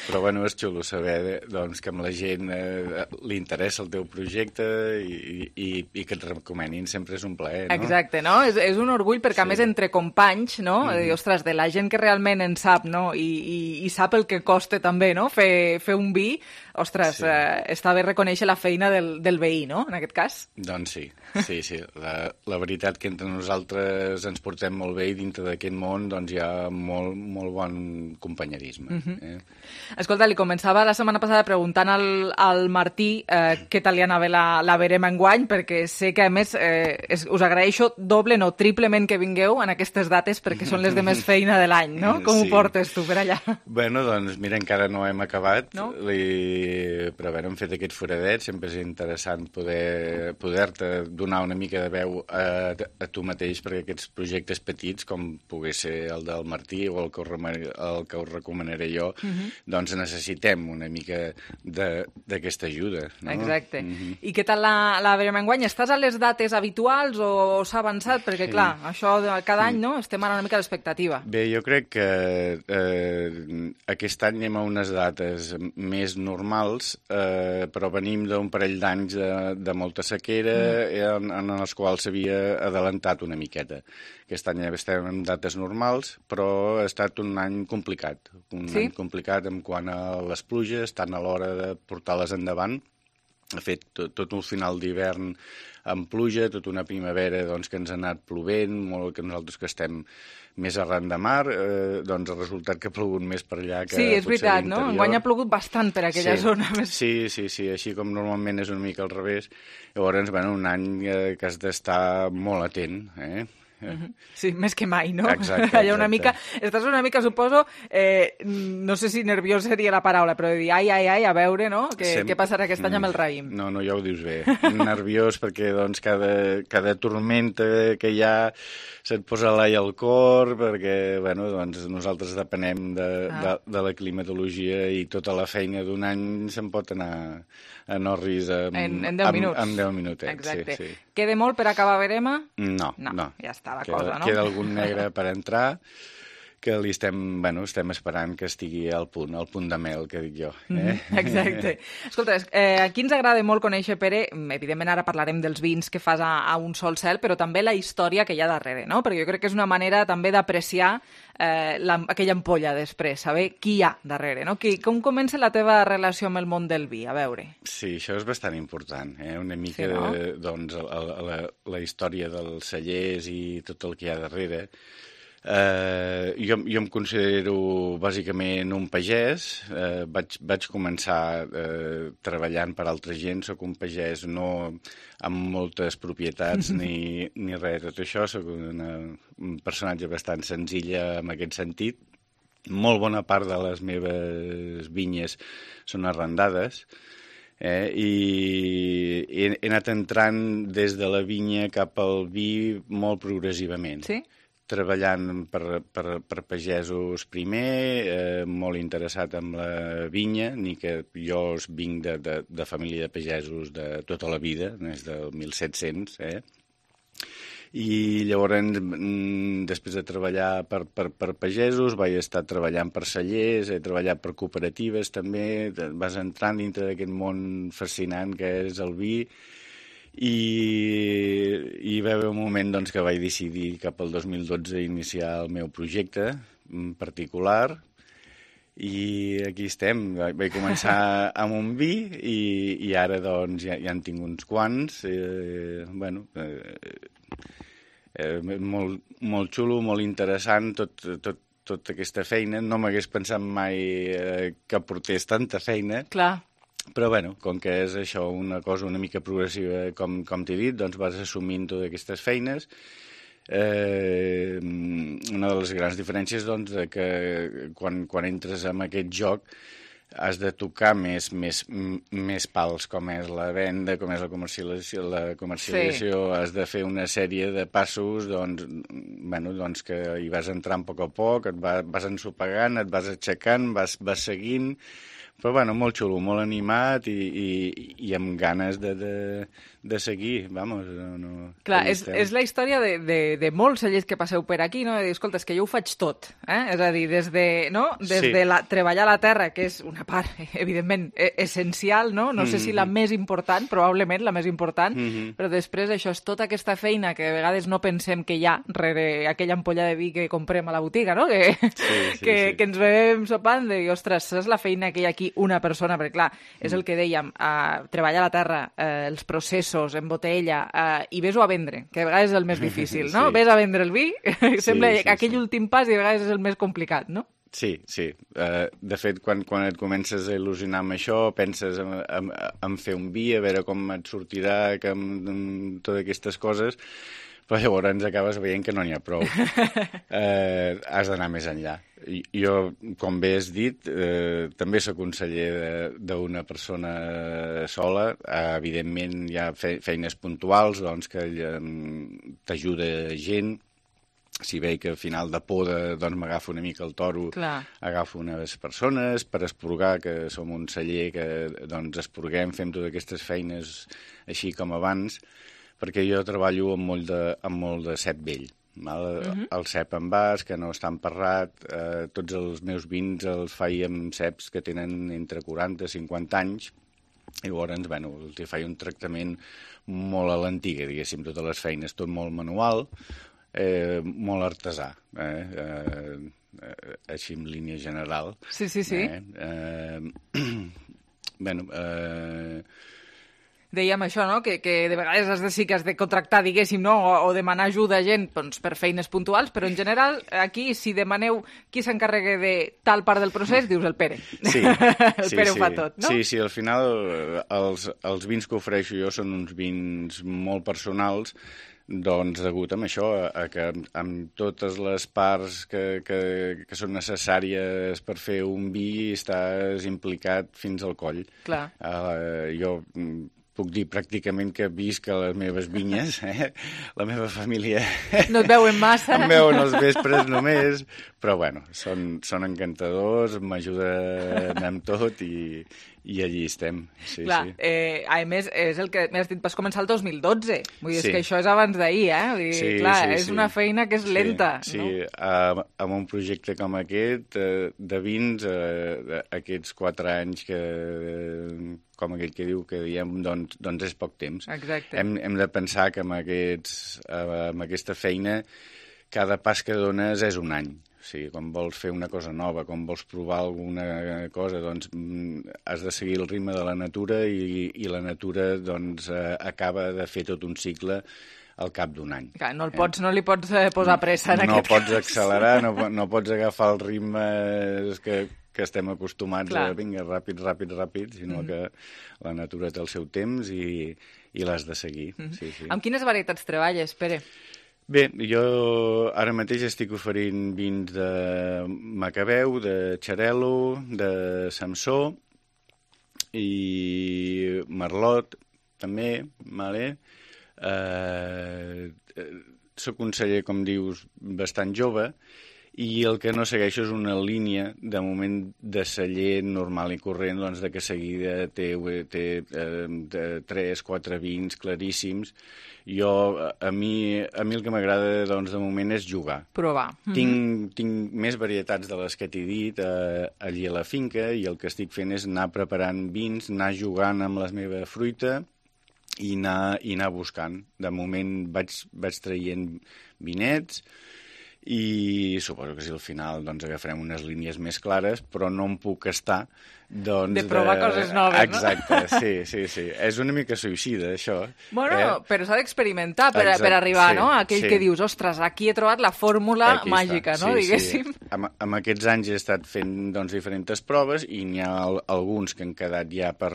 Però bueno, és xulo saber doncs, que amb la gent eh, li interessa el teu projecte i, i, i que et recomanin sempre és un plaer, no? Exacte, no? És, és un orgull perquè, sí. a més, entre companys, no? Mm. Dir, ostres, de la gent que realment en sap, no? I, i, i sap el que costa també, no? Fer, fer un vi, ostres, sí. eh, està bé reconèixer la feina del, del veí, no? En aquest cas. Doncs sí, sí, sí. La, la veritat que entre nosaltres ens portem molt bé i dintre d'aquest món doncs hi ha molt, molt bon companyerisme. Mm-hmm. eh? Escolta, li començava la setmana passada preguntant al, al Martí eh, què tal li anava la, la verema enguany, perquè sé que, a més, eh, es, us agraeixo doble, no, triplement que vingueu en aquestes dates, perquè són les de més feina de l'any, no? Com sí. ho portes tu per allà? Bueno, doncs, mira, encara no hem acabat, no? Li... però a veure, hem fet aquest foradet, sempre és interessant poder, poder-te donar una mica de veu a, a tu mateix, perquè aquests projectes petits, com pogués ser el del Martí o el que us, el que us recomanaré jo, mm-hmm. doncs doncs necessitem una mica d'aquesta ajuda. No? Exacte. Mm-hmm. I què tal la, la verema enguany? Estàs a les dates habituals o s'ha avançat? Perquè, sí. clar, això de cada any, no? Estem ara una mica a l'expectativa. Bé, jo crec que eh, aquest any anem a unes dates més normals, eh, però venim d'un parell d'anys de, de molta sequera mm. en, en els quals s'havia adelantat una miqueta. Aquest any estem en dates normals, però ha estat un any complicat. Un sí? any complicat en quant a les pluges, tant a l'hora de portar-les endavant. Ha fet tot, tot un final d'hivern amb pluja, tota una primavera doncs, que ens ha anat plovent, molt que nosaltres que estem més arran de mar, eh, doncs el resultat que ha plogut més per allà que sí, és veritat, no? Enguany ha plogut bastant per aquella sí. zona. Sí, sí, sí, així com normalment és una mica al revés. Llavors, bueno, un any eh, que has d'estar molt atent, eh? Sí, més que mai, no? Exacte, exacte. Allà una mica, estàs una mica, suposo, eh, no sé si nerviós seria la paraula, però de dir, ai, ai, ai, a veure, no? Què, Sem... què passarà aquest any amb el raïm? No, no, ja ho dius bé. Nerviós perquè, doncs, cada, cada tormenta que hi ha se't posa l'ai al cor, perquè, bueno, doncs, nosaltres depenem de, ah. de, de la climatologia i tota la feina d'un any se'n pot anar a Norris amb, en, en deu minuts. Amb, amb deu minutets. Exacte. Sí, sí. Queda molt per acabar verema? No, no. no. Ja està la queda, cosa, no? Queda algun negre per entrar, que li estem, bueno, estem esperant que estigui al punt, al punt de mel, que dic jo. Eh? Mm, exacte. Escolta, eh, aquí ens agrada molt conèixer, Pere, evidentment ara parlarem dels vins que fas a, a Un Sol Cel, però també la història que hi ha darrere, no? Perquè jo crec que és una manera també d'apreciar eh, la, aquella ampolla després, saber qui hi ha darrere, no? Qui, com comença la teva relació amb el món del vi? A veure. Sí, això és bastant important, eh? Una mica, sí, no? de, doncs, la, la, la història dels cellers i tot el que hi ha darrere. Uh, jo, jo em considero bàsicament un pagès, uh, vaig, vaig començar uh, treballant per altra gent, soc un pagès no amb moltes propietats ni, ni res de tot això, soc una, un personatge bastant senzilla en aquest sentit. Molt bona part de les meves vinyes són arrendades, eh, i he, he anat entrant des de la vinya cap al vi molt progressivament. Sí? Treballant per, per, per pagesos primer, eh, molt interessat en la vinya, ni que jo vinc de, de, de família de pagesos de tota la vida, des del mil set-cents, eh? I llavors, després de treballar per, per, per pagesos, vaig estar treballant per cellers, he treballat per cooperatives també, vas entrant dintre d'aquest món fascinant que és el vi, i hi va haver un moment doncs, que vaig decidir cap al dos mil dotze iniciar el meu projecte particular i aquí estem. Vaig començar amb un vi i, i ara doncs, ja, ja en tinc uns quants. Eh, bueno, eh, eh, molt, molt xulo, molt interessant tot, tot, tota aquesta feina. No m'hagués pensat mai eh, que portés tanta feina. Clar. Però, bueno, com que és això una cosa una mica progressiva, com, com t'he dit, doncs vas assumint totes aquestes feines. Eh, una de les grans diferències, doncs, de que quan, quan entres en aquest joc has de tocar més, més, més pals, com és la venda, com és la comercialització, la comercialització sí. Has de fer una sèrie de passos doncs, bueno, doncs que hi vas entrant a poc a poc, et vas, vas ensopegant, et vas aixecant, vas, vas seguint, però bueno, molt xulo, molt animat i, i, i amb ganes de, de, de seguir, vamos. No, Clar, és, és la història de, de, de molts cellers que passeu per aquí, no? De dir, escolta, és que jo ho faig tot, eh? És a dir, des de, no? des sí. de la, treballar la terra, que és una part, evidentment, essencial, no? No sé si la més important, probablement la més important, mm-hmm. però després això és tota aquesta feina que a vegades no pensem que hi ha rere aquella ampolla de vi que comprem a la botiga, no? Que, sí, sí, que, sí. que ens bevem sopant de dir, ostres, és la feina que hi ha aquí una persona, perquè clar, és el que dèiem, uh, treballar la terra, uh, els processos en botella, uh, i ves-ho a vendre, que a vegades és el més difícil, no? Sí. Ves a vendre el vi, sembla sí, sí, aquell sí. últim pas i a vegades és el més complicat, no? Sí, sí. Uh, de fet, quan, quan et comences a il·lusionar amb això, penses en, en, en fer un vi, a veure com et sortirà, que amb, amb totes aquestes coses, però llavors ens acabes veient que no n'hi ha prou. Eh, has d'anar més enllà. I, jo, com bé has dit, eh, també soc conseller d'una persona sola. Eh, evidentment, hi ha fe, feines puntuals doncs, que eh, t'ajuda gent. Si veig que al final de poda doncs, m'agafo una mica el toro, Clar. agafo unes persones per esporgar, que som un celler que doncs, esporguem, fem totes aquestes feines així com abans, perquè jo treballo amb molt de, amb molt de cep vell. Val? Uh-huh. El cep en vas, que no està emparrat, eh, tots els meus vins els faig amb ceps que tenen entre quaranta i cinquanta anys, i llavors, bueno, els faig un tractament molt a l'antiga, diguéssim, totes les feines, tot molt manual, eh, molt artesà, eh, eh, així en línia general. Sí, sí, sí. Eh, eh, bueno, eh, dèiem això, no? Que, que de vegades has de, sí que has de contractar, diguéssim, no? O, o demanar ajuda a gent doncs, per feines puntuals, però en general, aquí, si demaneu qui s'encarregui de tal part del procés, dius el Pere. Sí, el sí, Pere sí. ho fa tot, no? Sí, sí, al final els, els vins que ofereixo jo són uns vins molt personals, doncs degut a això, a que amb totes les parts que, que, que són necessàries per fer un vi estàs implicat fins al coll. Clar. Uh, jo puc dir pràcticament que visc a les meves vinyes, eh? La meva família... No et veuen massa. Em veuen els vespres només, però bueno, són, són encantadors, m'ajuden amb tot i, i allí estem. Sí, Clar, sí. Eh, a més, és el que m'has dit, vas començar el dos mil dotze, vull dir, sí. és que això és abans d'ahir, eh? Vull dir, sí, clar, sí, és sí. una feina que és sí, lenta, sí. no? Sí, uh, amb un projecte com aquest, uh, de vins, uh, aquests quatre anys que... Uh, com aquell que diu que diem, doncs, doncs és poc temps. Exacte. Hem, hem de pensar que amb, aquests, amb aquesta feina cada pas que dones és un any. O sigui, quan vols fer una cosa nova, quan vols provar alguna cosa, doncs has de seguir el ritme de la natura i, i la natura doncs, acaba de fer tot un cicle al cap d'un any. Clar, no, el pots, eh? no li pots posar pressa en no aquest pots cas. accelerar, no, no pots agafar el ritme que... que estem acostumats Clar. a vinga, ràpid, ràpid, ràpid, sinó mm. que la natura té el seu temps i, i l'has de seguir. Mm. Sí, sí. Amb quines varietats treballes, Pere? Bé, jo ara mateix estic oferint vins de Macabeu, de Xarel·lo, de Samsó i Merlot, també, vale? Eh, soc un celler, com dius, bastant jove, i el que no segueixo és una línia, de moment, de celler normal i corrent, doncs, de que seguida té, té eh, tres, quatre vins claríssims. Jo, a mi, a mi el que m'agrada, doncs, de moment, és jugar. Provar. Tinc, mm-hmm. tinc més varietats de les que t'he dit eh, allí a la finca, i el que estic fent és anar preparant vins, anar jugant amb la meva fruita i anar, i anar buscant. De moment vaig, vaig traient vinets, i suposo que si al final doncs, agafarem unes línies més clares, però no em puc estar doncs, de provar de... coses noves, Exacte, no? sí, sí, sí. És una mica suïcida, això. Bueno, eh? però s'ha d'experimentar per, per arribar, sí, no? Aquell sí. que dius, ostres, aquí he trobat la fórmula aquí màgica, està. no? Sí, Diguéssim. Sí. Amb, amb aquests anys he estat fent doncs, diferents proves i n'hi ha alguns que han quedat ja per,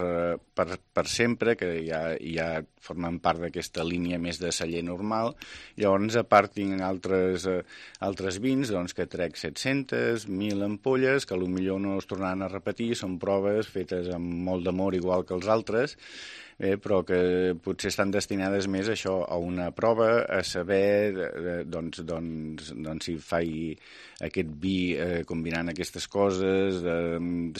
per, per sempre, que ja, ja formen part d'aquesta línia més de celler normal. Llavors, a part, tinc altres, eh, altres vins doncs, que trec set-centes, mil ampolles, que potser no es tornaran a repetir, són prou proves fetes amb molt d'amor, igual que els altres, eh, però que potser estan destinades més a això, a una prova, a saber eh, doncs, doncs, doncs si faig aquest vi eh, combinant aquestes coses de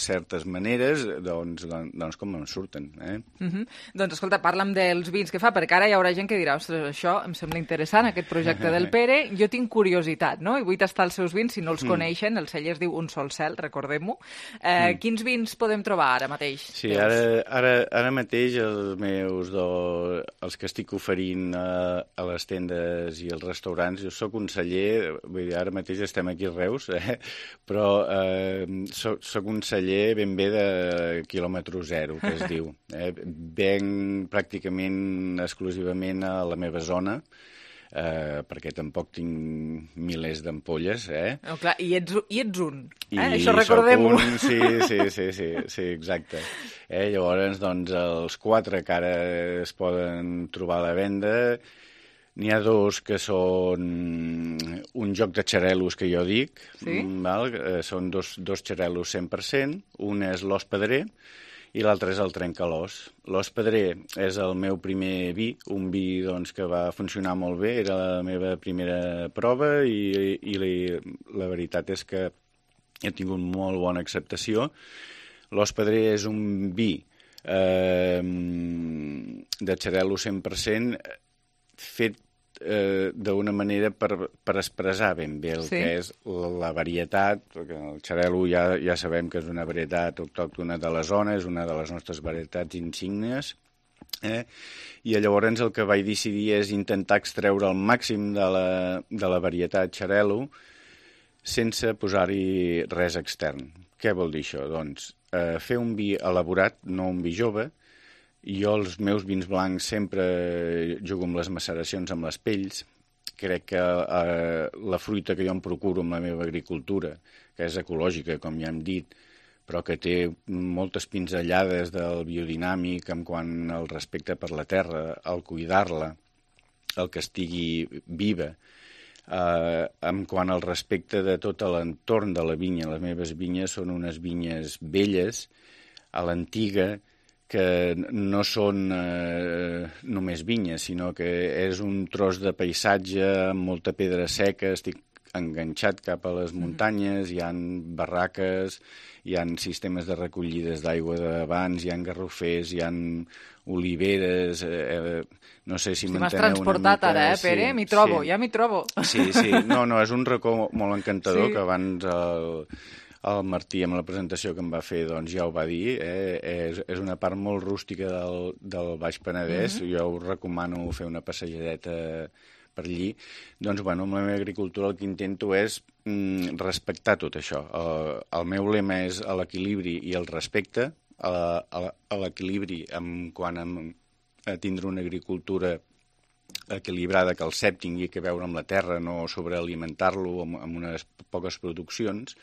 certes maneres, doncs, doncs, doncs com em surten. Eh? Uh-huh. Doncs escolta, parla'm dels vins que fa, perquè ara hi haurà gent que dirà, ostres, això em sembla interessant, aquest projecte del Pere, jo tinc curiositat, no? I vull tastar els seus vins, si no els mm. coneixen, el celler es diu Un Sol Cel, recordem-ho. Eh, mm. Quins vins podem trobar ara mateix? Sí, ara, ara, ara mateix els meus, do, els que estic oferint a, a les tendes i als restaurants, jo sóc un celler, vull dir, ara mateix estem aquí a Reus, eh? Però eh, soc, soc un celler ben bé de quilòmetre zero, que es diu. Eh? Venc pràcticament exclusivament a la meva zona, eh, perquè tampoc tinc milers d'ampolles. Eh? Oh, clar, i, ets, i ets un, eh? I Això recordem-ho. Un, sí, sí, sí, sí, sí, exacte. Eh? Llavors, doncs, els quatre que ara es poden trobar a la venda, n'hi ha dos que són un joc de xarelos que jo dic, sí? Val? Eh, són dos, dos xarelos cent per cent, un és l'Os Pedrer i l'altre és el Trencalòs. L'Os Pedrer és el meu primer vi, un vi doncs, que va funcionar molt bé, era la meva primera prova i, i la, la veritat és que he tingut molt bona acceptació. L'Os Pedrer és un vi eh, de xarel·lo cent per cent fet eh, d'una manera per, per expressar ben bé el sí. que és la, la varietat, perquè el xarel·lo ja, ja sabem que és una varietat autòctona de la zona, és una de les nostres varietats insígnies, eh? I llavors el que vaig decidir és intentar extreure el màxim de la, de la varietat xarel·lo sense posar-hi res extern. Què vol dir això? Doncs eh, fer un vi elaborat, no un vi jove. Jo els meus vins blancs sempre jugo amb les maceracions, amb les pells. Crec que eh, la fruita que jo em procuro amb la meva agricultura, que és ecològica, com ja hem dit, però que té moltes pinzellades del biodinàmic en quant al respecte per la terra, al cuidar-la, el que estigui viva, eh, en quant al respecte de tot l'entorn de la vinya. Les meves vinyes són unes vinyes velles, a l'antiga, que no són eh, només vinyes, sinó que és un tros de paisatge amb molta pedra seca, estic enganxat cap a les muntanyes, hi ha barraques, hi ha sistemes de recollides d'aigua d'abans, hi ha garrofers, hi ha oliveres, eh, no sé si m'enteneu una mica. M'has transportat ara, eh, Pere? Sí, m'hi trobo, sí. ja m'hi trobo. Sí, sí, no, no, és un racó molt encantador, sí. que abans el, el Martí, amb la presentació que em va fer, doncs ja ho va dir, eh? és, és una part molt rústica del, del Baix Penedès, mm-hmm. jo us recomano fer una passejadeta per allí. Doncs, bueno, amb la meva agricultura el que intento és mm, respectar tot això. El, el meu lema és a l'equilibri i el respecte, a, a, a l'equilibri en quant a, a tindre una agricultura equilibrada, que el cep tingui que veure amb la terra, no sobrealimentar-lo amb, amb unes poques produccions.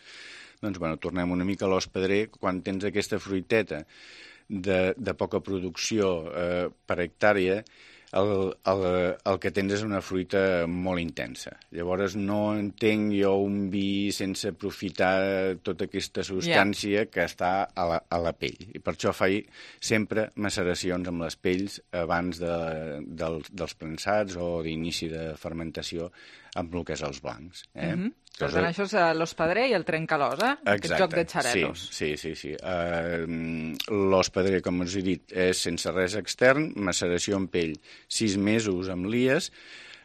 Doncs, bueno, tornem una mica a l'Os Pedrer. Quan tens aquesta fruiteta de, de poca producció eh, per hectàrea, el, el, el que tens és una fruita molt intensa. Llavors no entenc jo un vi sense aprofitar tota aquesta substància yeah. que està a la, a la pell. I per això faig sempre maceracions amb les pells abans de, dels, dels prensats o d'inici de fermentació amb el que és els blancs. Eh? Mm-hmm. Per tant, això és l'Os Pedrer i el Trencalòs, eh? Exacte. Aquest joc de xarelos. Sí, sí, sí. sí. Uh, L'Os Pedrer, com us he dit, és sense res extern, maceració en pell, sis mesos amb lies,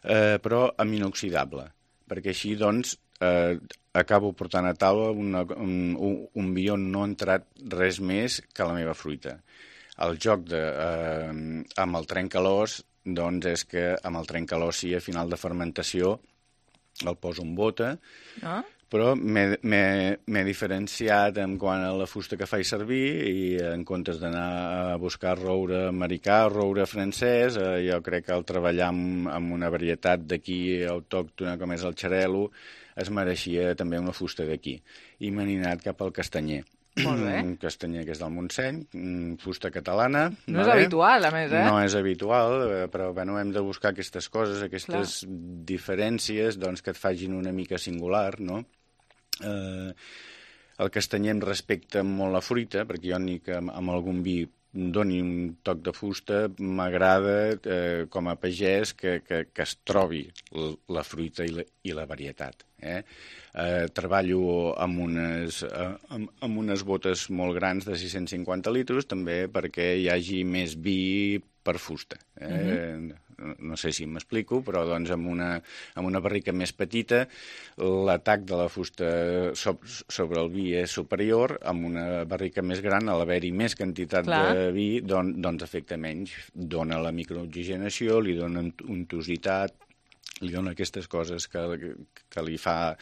uh, però amb inoxidable, perquè així, doncs, uh, acabo portant a taula una, un, un, un vi on no ha entrat res més que la meva fruita. El joc de, uh, amb el Trencalòs, doncs, és que amb el Trencalòs, sí, a final de fermentació, el poso en bota, ah. però m'he diferenciat en quant a la fusta que faig servir i en comptes d'anar a buscar roure americà o roure francès, eh, jo crec que al treballar amb, amb una varietat d'aquí autòctona com és el xarel·lo, es mereixia també una fusta d'aquí. I m'he anat cap al castanyer. Molt bé. Un castanyer que és del Montseny, fusta catalana. No vale? És habitual, a més, eh? No és habitual, però bueno, hem de buscar aquestes coses, aquestes Clar. diferències doncs, que et fagin una mica singular, no? Eh, el castanyem respecta molt la fruita, perquè jo ni que amb, amb algun vi doni un toc de fusta, m'agrada eh, com a pagès que, que, que es trobi la fruita i la, i la varietat. Eh? Eh, treballo amb unes, eh, amb, amb unes botes molt grans de sis-cents cinquanta litres, també perquè hi hagi més vi per fusta. Eh? Uh-huh. No sé si m'explico, però doncs amb una, amb una barrica més petita l'atac de la fusta sobre el vi és superior, amb una barrica més gran, a l'haver-hi més quantitat Clar. de vi, don, doncs afecta menys. Dona la microoxigenació, li dona untositat, li dona aquestes coses que, que li fa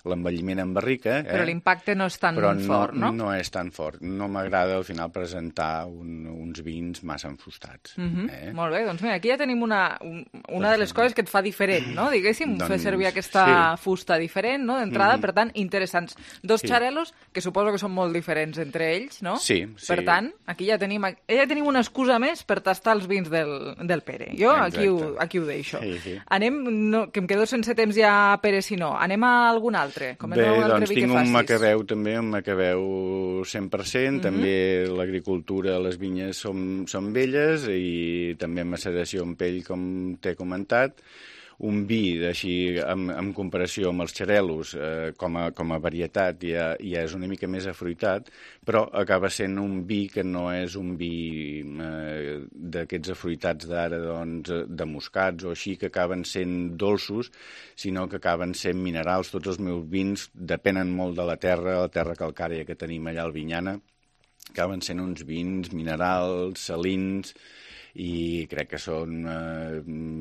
l'envelliment en barrica. Eh? Però l'impacte no és tan Però no, fort, no? no és tan fort. No m'agrada al final presentar un, uns vins massa enfustats. Mm-hmm. eh? Molt bé, doncs mira, aquí ja tenim una, un, una de les coses que et fa diferent, no? Diguéssim, doncs, fer servir aquesta sí. fusta diferent, no? D'entrada, Mm-hmm. per tant, interessants. Dos Sí. xarelos, que suposo que són molt diferents entre ells, no? Sí, sí. Per tant, aquí ja tenim, ja tenim una excusa més per tastar els vins del, del Pere. Jo aquí ho, aquí ho deixo. Sí, sí. Anem, no, que em quedo sense temps ja, Pere, si no. Anem a algun altre. Bé, doncs tinc un macabeu també, un macabeu cent per cent, Mhm. també l'agricultura, les vinyes són, són velles i també maceració en pell, com t'he comentat. Un vi, així, en, en comparació amb els xarelos, eh, com, a, com a varietat, ja, ja és una mica més afruitat, però acaba sent un vi que no és un vi eh, d'aquests afruitats d'ara, doncs, de moscats o així, que acaben sent dolços, sinó que acaben sent minerals. Tots els meus vins depenen molt de la terra, la terra calcària que tenim allà al Vinyana, acaben sent uns vins minerals, salins, i crec que són eh,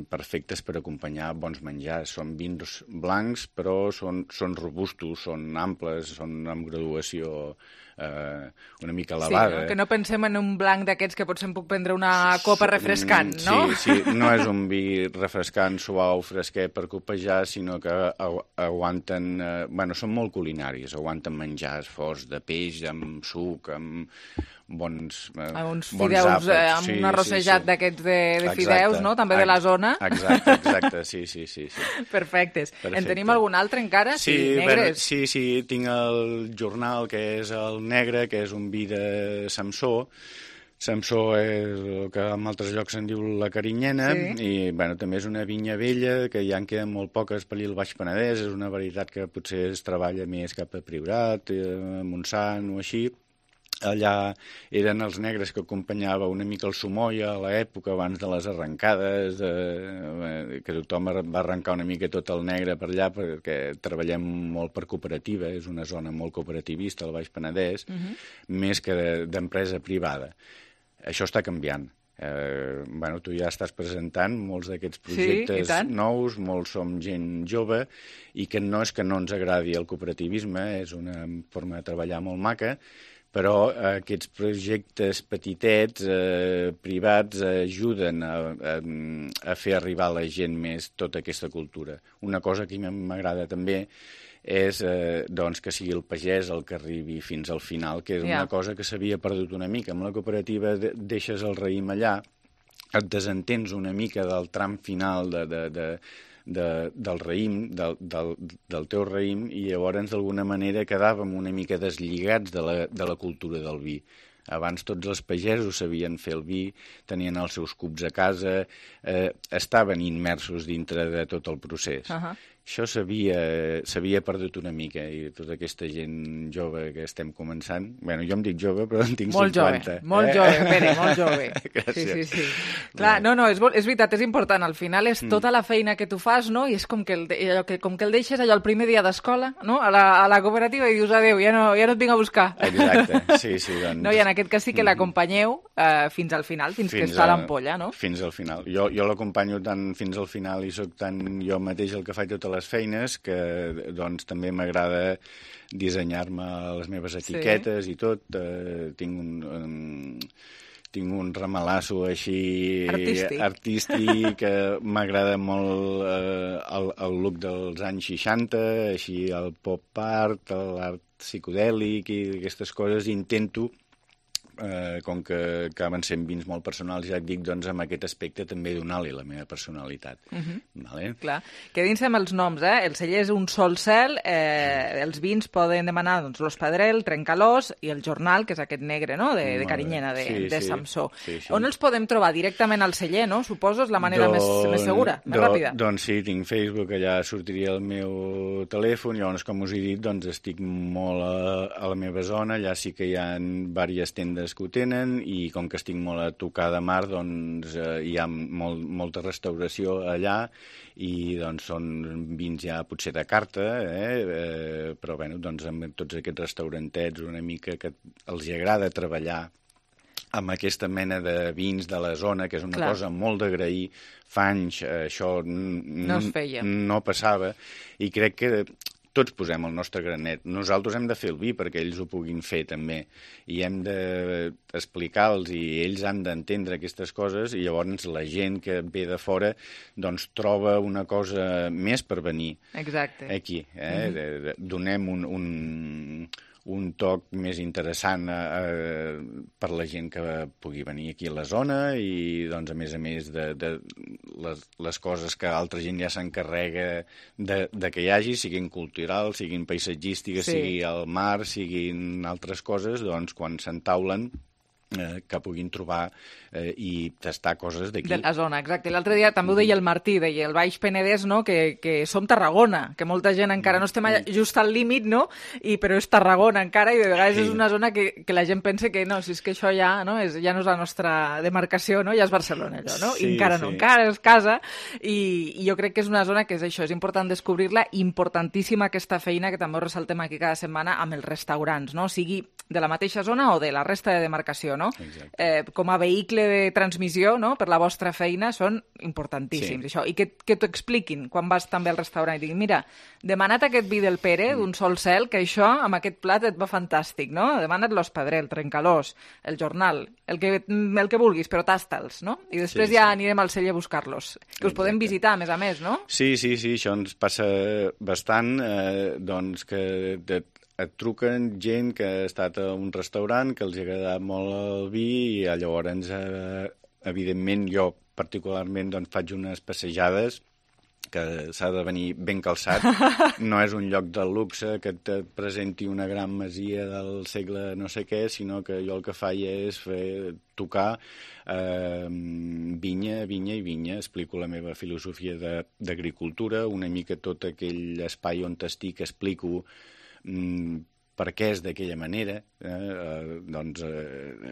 perfectes per acompanyar bons menjars. Són vins blancs, però són, són robustos, són amples, són amb graduació eh, una mica elevada. Sí, no? Que no pensem en un blanc d'aquests que potser em puc prendre una copa refrescant, no? Sí, sí, no és un vi refrescant, suau, fresquet per copejar, sinó que agu aguanten... Eh, bueno, són molt culinaris, aguanten menjars forts de peix, amb suc, amb bons eh, uns bons fideus àpats. eh, amb sí, un arrossejat sí, sí. d'aquests de, de Exacte. fideus, no? També de la zona. Exacte, exacte, sí, sí, sí. sí. Perfectes. Perfecte. En tenim algun altre encara? Sí, Sí, bueno, negres. sí, sí, tinc el jornal, que és el negre, que és un vi de Samsó. Samsó és el que en altres llocs se'n diu la Carinyena, Sí. i bueno, també és una vinya vella, que ja en queden molt poques per allà al Baix Penedès, és una varietat que potser es treballa més cap a Priorat, eh, Montsant o així. Allà eren els negres que acompanyava una mica el Somoia a l'època abans de les arrencades, eh, que tothom va arrencar una mica tot el negre per allà perquè treballem molt per cooperativa, és una zona molt cooperativista al Baix Penedès, Mhm. més que d'empresa privada. Això està canviant. Eh, bueno, tu ja estàs presentant molts d'aquests projectes tant. nous, molts som gent jove, i que no és que no ens agradi el cooperativisme, és una forma de treballar molt maca, però eh, aquests projectes petitets, eh, privats, eh, ajuden a, a, a fer arribar a la gent més tota aquesta cultura. Una cosa que a mi m'agrada també és eh, doncs, que sigui el pagès el que arribi fins al final, que és Ja. una cosa que s'havia perdut una mica. Amb la cooperativa de, deixes el raïm allà, et desentens una mica del tram final de, de, de, de, del raïm, del, del, del teu raïm, i llavors d'alguna manera quedàvem una mica deslligats de la, de la cultura del vi. Abans tots els pagesos sabien fer el vi, tenien els seus cups a casa, eh, estaven immersos dintre de tot el procés. Uh-huh. Això s'havia perdut una mica, i tota aquesta gent jove que estem començant... Bueno, jo em dic jove, però en tinc Molt cinquanta. jove, molt eh? jove, Pere, molt jove. Gràcies. Sí, sí, sí. Clar, no, no, és, és veritat, és important. Al final és tota la feina que tu fas, no? I és com que el, de- allò que, com que el deixes allò el primer dia d'escola, no? A la, a la cooperativa i dius, adéu, ja no, ja no et vinc a buscar. Exacte, sí, sí. Doncs... No, i en aquest cas sí que l'acompanyeu eh, fins al final, fins, fins que està a l'ampolla, no? Fins al final. Jo, jo l'acompanyo tant fins al final i sóc tant jo mateix el que faig totes les feines que doncs també m'agrada dissenyar-me les meves etiquetes i tot. Eh, tinc un... Um, tinc un ramalasso així Artístic. artístic que m'agrada molt eh, el, el look dels anys seixanta, així el pop art, l'art psicodèlic i aquestes coses. Intento eh, com que acaben sent vins molt personals, ja et dic, doncs, amb aquest aspecte també donar-li la meva personalitat. Uh-huh. Vale? Clar. Quedin-se amb els noms, eh? El celler és Un sol cel, eh, els vins poden demanar doncs, l'Os Pedrell, Trencalós i el Jornal, que és aquest negre, no?, de, de Carinyena, de, sí, de sí, Samsó. Sí, sí. On els podem trobar? Directament al celler, no? Suposo és la manera Don, més, més segura, més do, ràpida. Doncs sí, tinc Facebook, allà sortiria el meu telèfon, llavors, com us he dit, doncs estic molt a, a la meva zona, allà sí que hi ha diverses tendes que ho tenen, i com que estic molt a tocar de mar, doncs eh, hi ha molt, molta restauració allà, i doncs són vins ja potser de carta, eh? Eh, però bueno, doncs amb tots aquests restaurantets una mica que els agrada treballar amb aquesta mena de vins de la zona, que és una Clar. cosa molt d'agrair. Fa anys això no es feia. No passava, i crec que tots posem el nostre granet. Nosaltres hem de fer el vi perquè ells ho puguin fer també, i hem d'explicar-los i ells han d'entendre aquestes coses, i llavors la gent que ve de fora doncs troba una cosa més per venir. Exacte. Aquí. Eh? Mm-hmm. Donem un, un, un toc més interessant eh, per la gent que pugui venir aquí a la zona, i doncs a més a més de, de les, les coses que altra gent ja s'encarrega de, de que hi hagi, siguin culturals, siguin paisatgístiques, sí. sigui al mar, siguin altres coses, doncs quan s'entaulen Eh, que puguin trobar eh, i tastar coses d'aquí. De la zona, exacte. L'altre dia també ho deia el Martí, deia el Baix Penedès, no?, que, que som Tarragona, que molta gent encara no estem allà, just al límit, no?, I, però és Tarragona encara, i de vegades sí. és una zona que, que la gent pensa que no, si és que això ja no és, ja no és la nostra demarcació, no?, ja és Barcelona, allò, no? Sí, I encara sí. no, encara és casa, i, i jo crec que és una zona que és això, és important descobrir-la, importantíssima aquesta feina que també ho ressaltem aquí cada setmana amb els restaurants, no?, sigui de la mateixa zona o de la resta de demarcació, no? Eh, com a vehicle de transmissió, no?, per la vostra feina, són importantíssims. Sí. Això. I que, que t'ho expliquin quan vas també al restaurant i diguin, mira, demana't aquest vi del Pere, mm. d'un sol cel, que això, amb aquest plat et va fantàstic, no? Demana't l'Os Pedrell, el Trencalós, el Jornal, el que, el que vulguis, però tasta'ls, no? I després sí, ja sí. anirem al celler a buscar-los. Que us Exacte. podem visitar, a més a més, no? Sí, sí, sí, això ens passa bastant, eh, doncs que... De... et truquen gent que ha estat a un restaurant, que els ha agradat molt el vi, i llavors, eh, evidentment, jo particularment doncs, faig unes passejades que s'ha de venir ben calçat. No és un lloc de luxe que et presenti una gran masia del segle no sé què, sinó que jo el que faig és fer, tocar eh, vinya, vinya i vinya. Explico la meva filosofia d'agricultura, una mica tot aquell espai on estic, explico per què és d'aquella manera. Eh? Eh, doncs eh,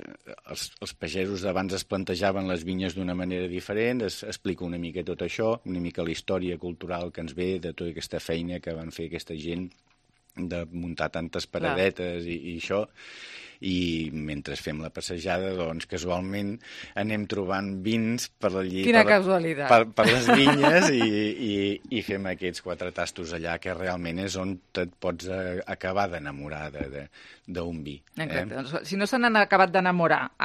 els, els pagesos d'abans es plantejaven les vinyes d'una manera diferent, es explica una mica tot això, una mica la història cultural que ens ve de tota aquesta feina que van fer aquesta gent de muntar tantes paradetes i, i això. I mentre fem la passejada, doncs, casualment anem trobant vins per allí, Quina per, casualitat. per, per les vinyes i, i, i fem aquests quatre tastos allà, que realment és on et pots acabar d'enamorar d'un vi. Exacte. Eh? Doncs, si no se n'han acabat d'enamorar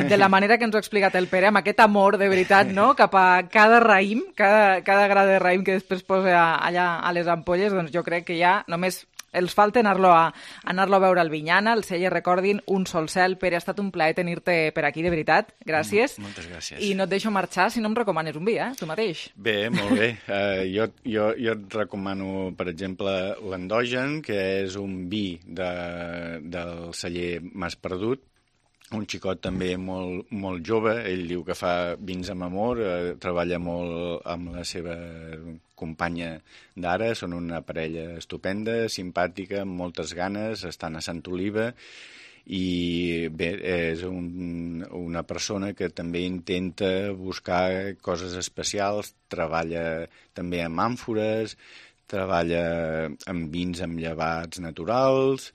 de la manera que ens ho ha explicat el Pere, amb aquest amor de veritat, no?, cap a cada raïm, cada, cada gra de raïm que després posa allà a les ampolles, doncs jo crec que ja només els falta anar-lo a, anar-lo a veure al Vinyana, el celler, recordin, Un sol cel. Pere, ha estat un plaer tenir-te per aquí, de veritat. Gràcies. Moltes gràcies. I no et deixo marxar si no em recomanes un vi, eh? Tu mateix. Bé, molt bé. Uh, jo, jo, jo et recomano, per exemple, l'Endogen, que és un vi de, del celler Mas Perdut, un xicot també molt, molt jove. Ell diu que fa vins amb amor, eh, treballa molt amb la seva companya d'ara, són una parella estupenda, simpàtica, amb moltes ganes, estan a Sant Oliva, i bé, és un, una persona que també intenta buscar coses especials, treballa també amb àmfores, treballa amb vins amb llevats naturals,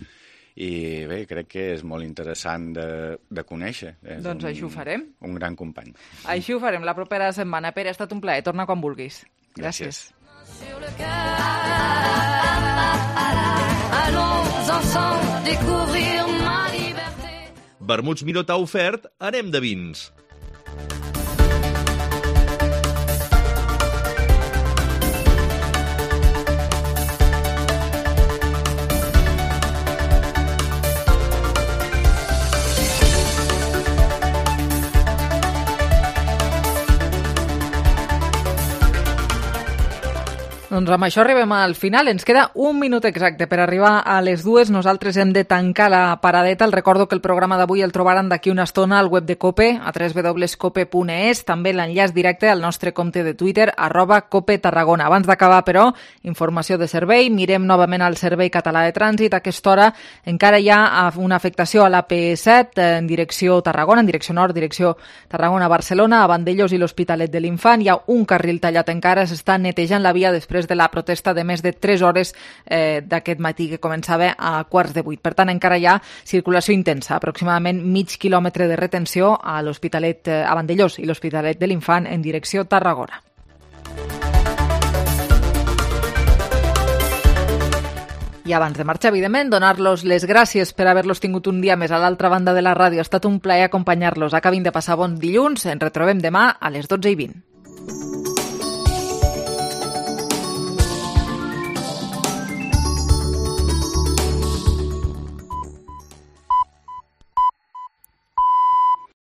i bé, crec que és molt interessant de, de conèixer. És doncs un, així ho farem. Un gran company. Així ho farem la propera setmana. Pere, ha estat un plaer. Torna quan vulguis. Gràcies. Vermuts Miró t'ha ofert Anem de vins. Doncs amb això arribem al final. Ens queda un minut exacte per arribar a les dues. Nosaltres hem de tancar la paradeta. El recordo que el programa d'avui el trobaran d'aquí una estona al web de COPE, a w w w punt cope punt e s, també l'enllaç directe al nostre compte de Twitter, arroba Cope Tarragona. Abans d'acabar, però, informació de servei. Mirem novament al Servei Català de Trànsit. A aquesta hora encara hi ha una afectació a la P set en direcció Tarragona, en direcció nord, direcció Tarragona-Barcelona, a Vandellòs i l'Hospitalet de l'Infant. Hi ha un carril tallat encara, s'està netejant la via després de la protesta de més de tres hores eh, d'aquest matí que començava a quarts de vuit. Per tant, encara hi ha circulació intensa, aproximadament mig quilòmetre de retenció a l'Hospitalet, a Vandellòs i l'Hospitalet de l'Infant en direcció Tarragona. I abans de marxar, evidentment, donar-los les gràcies per haver-los tingut un dia més a l'altra banda de la ràdio. Ha estat un plaer acompanyar-los. Acabin de passar bon dilluns. Ens retrobem demà a les dotze i vint.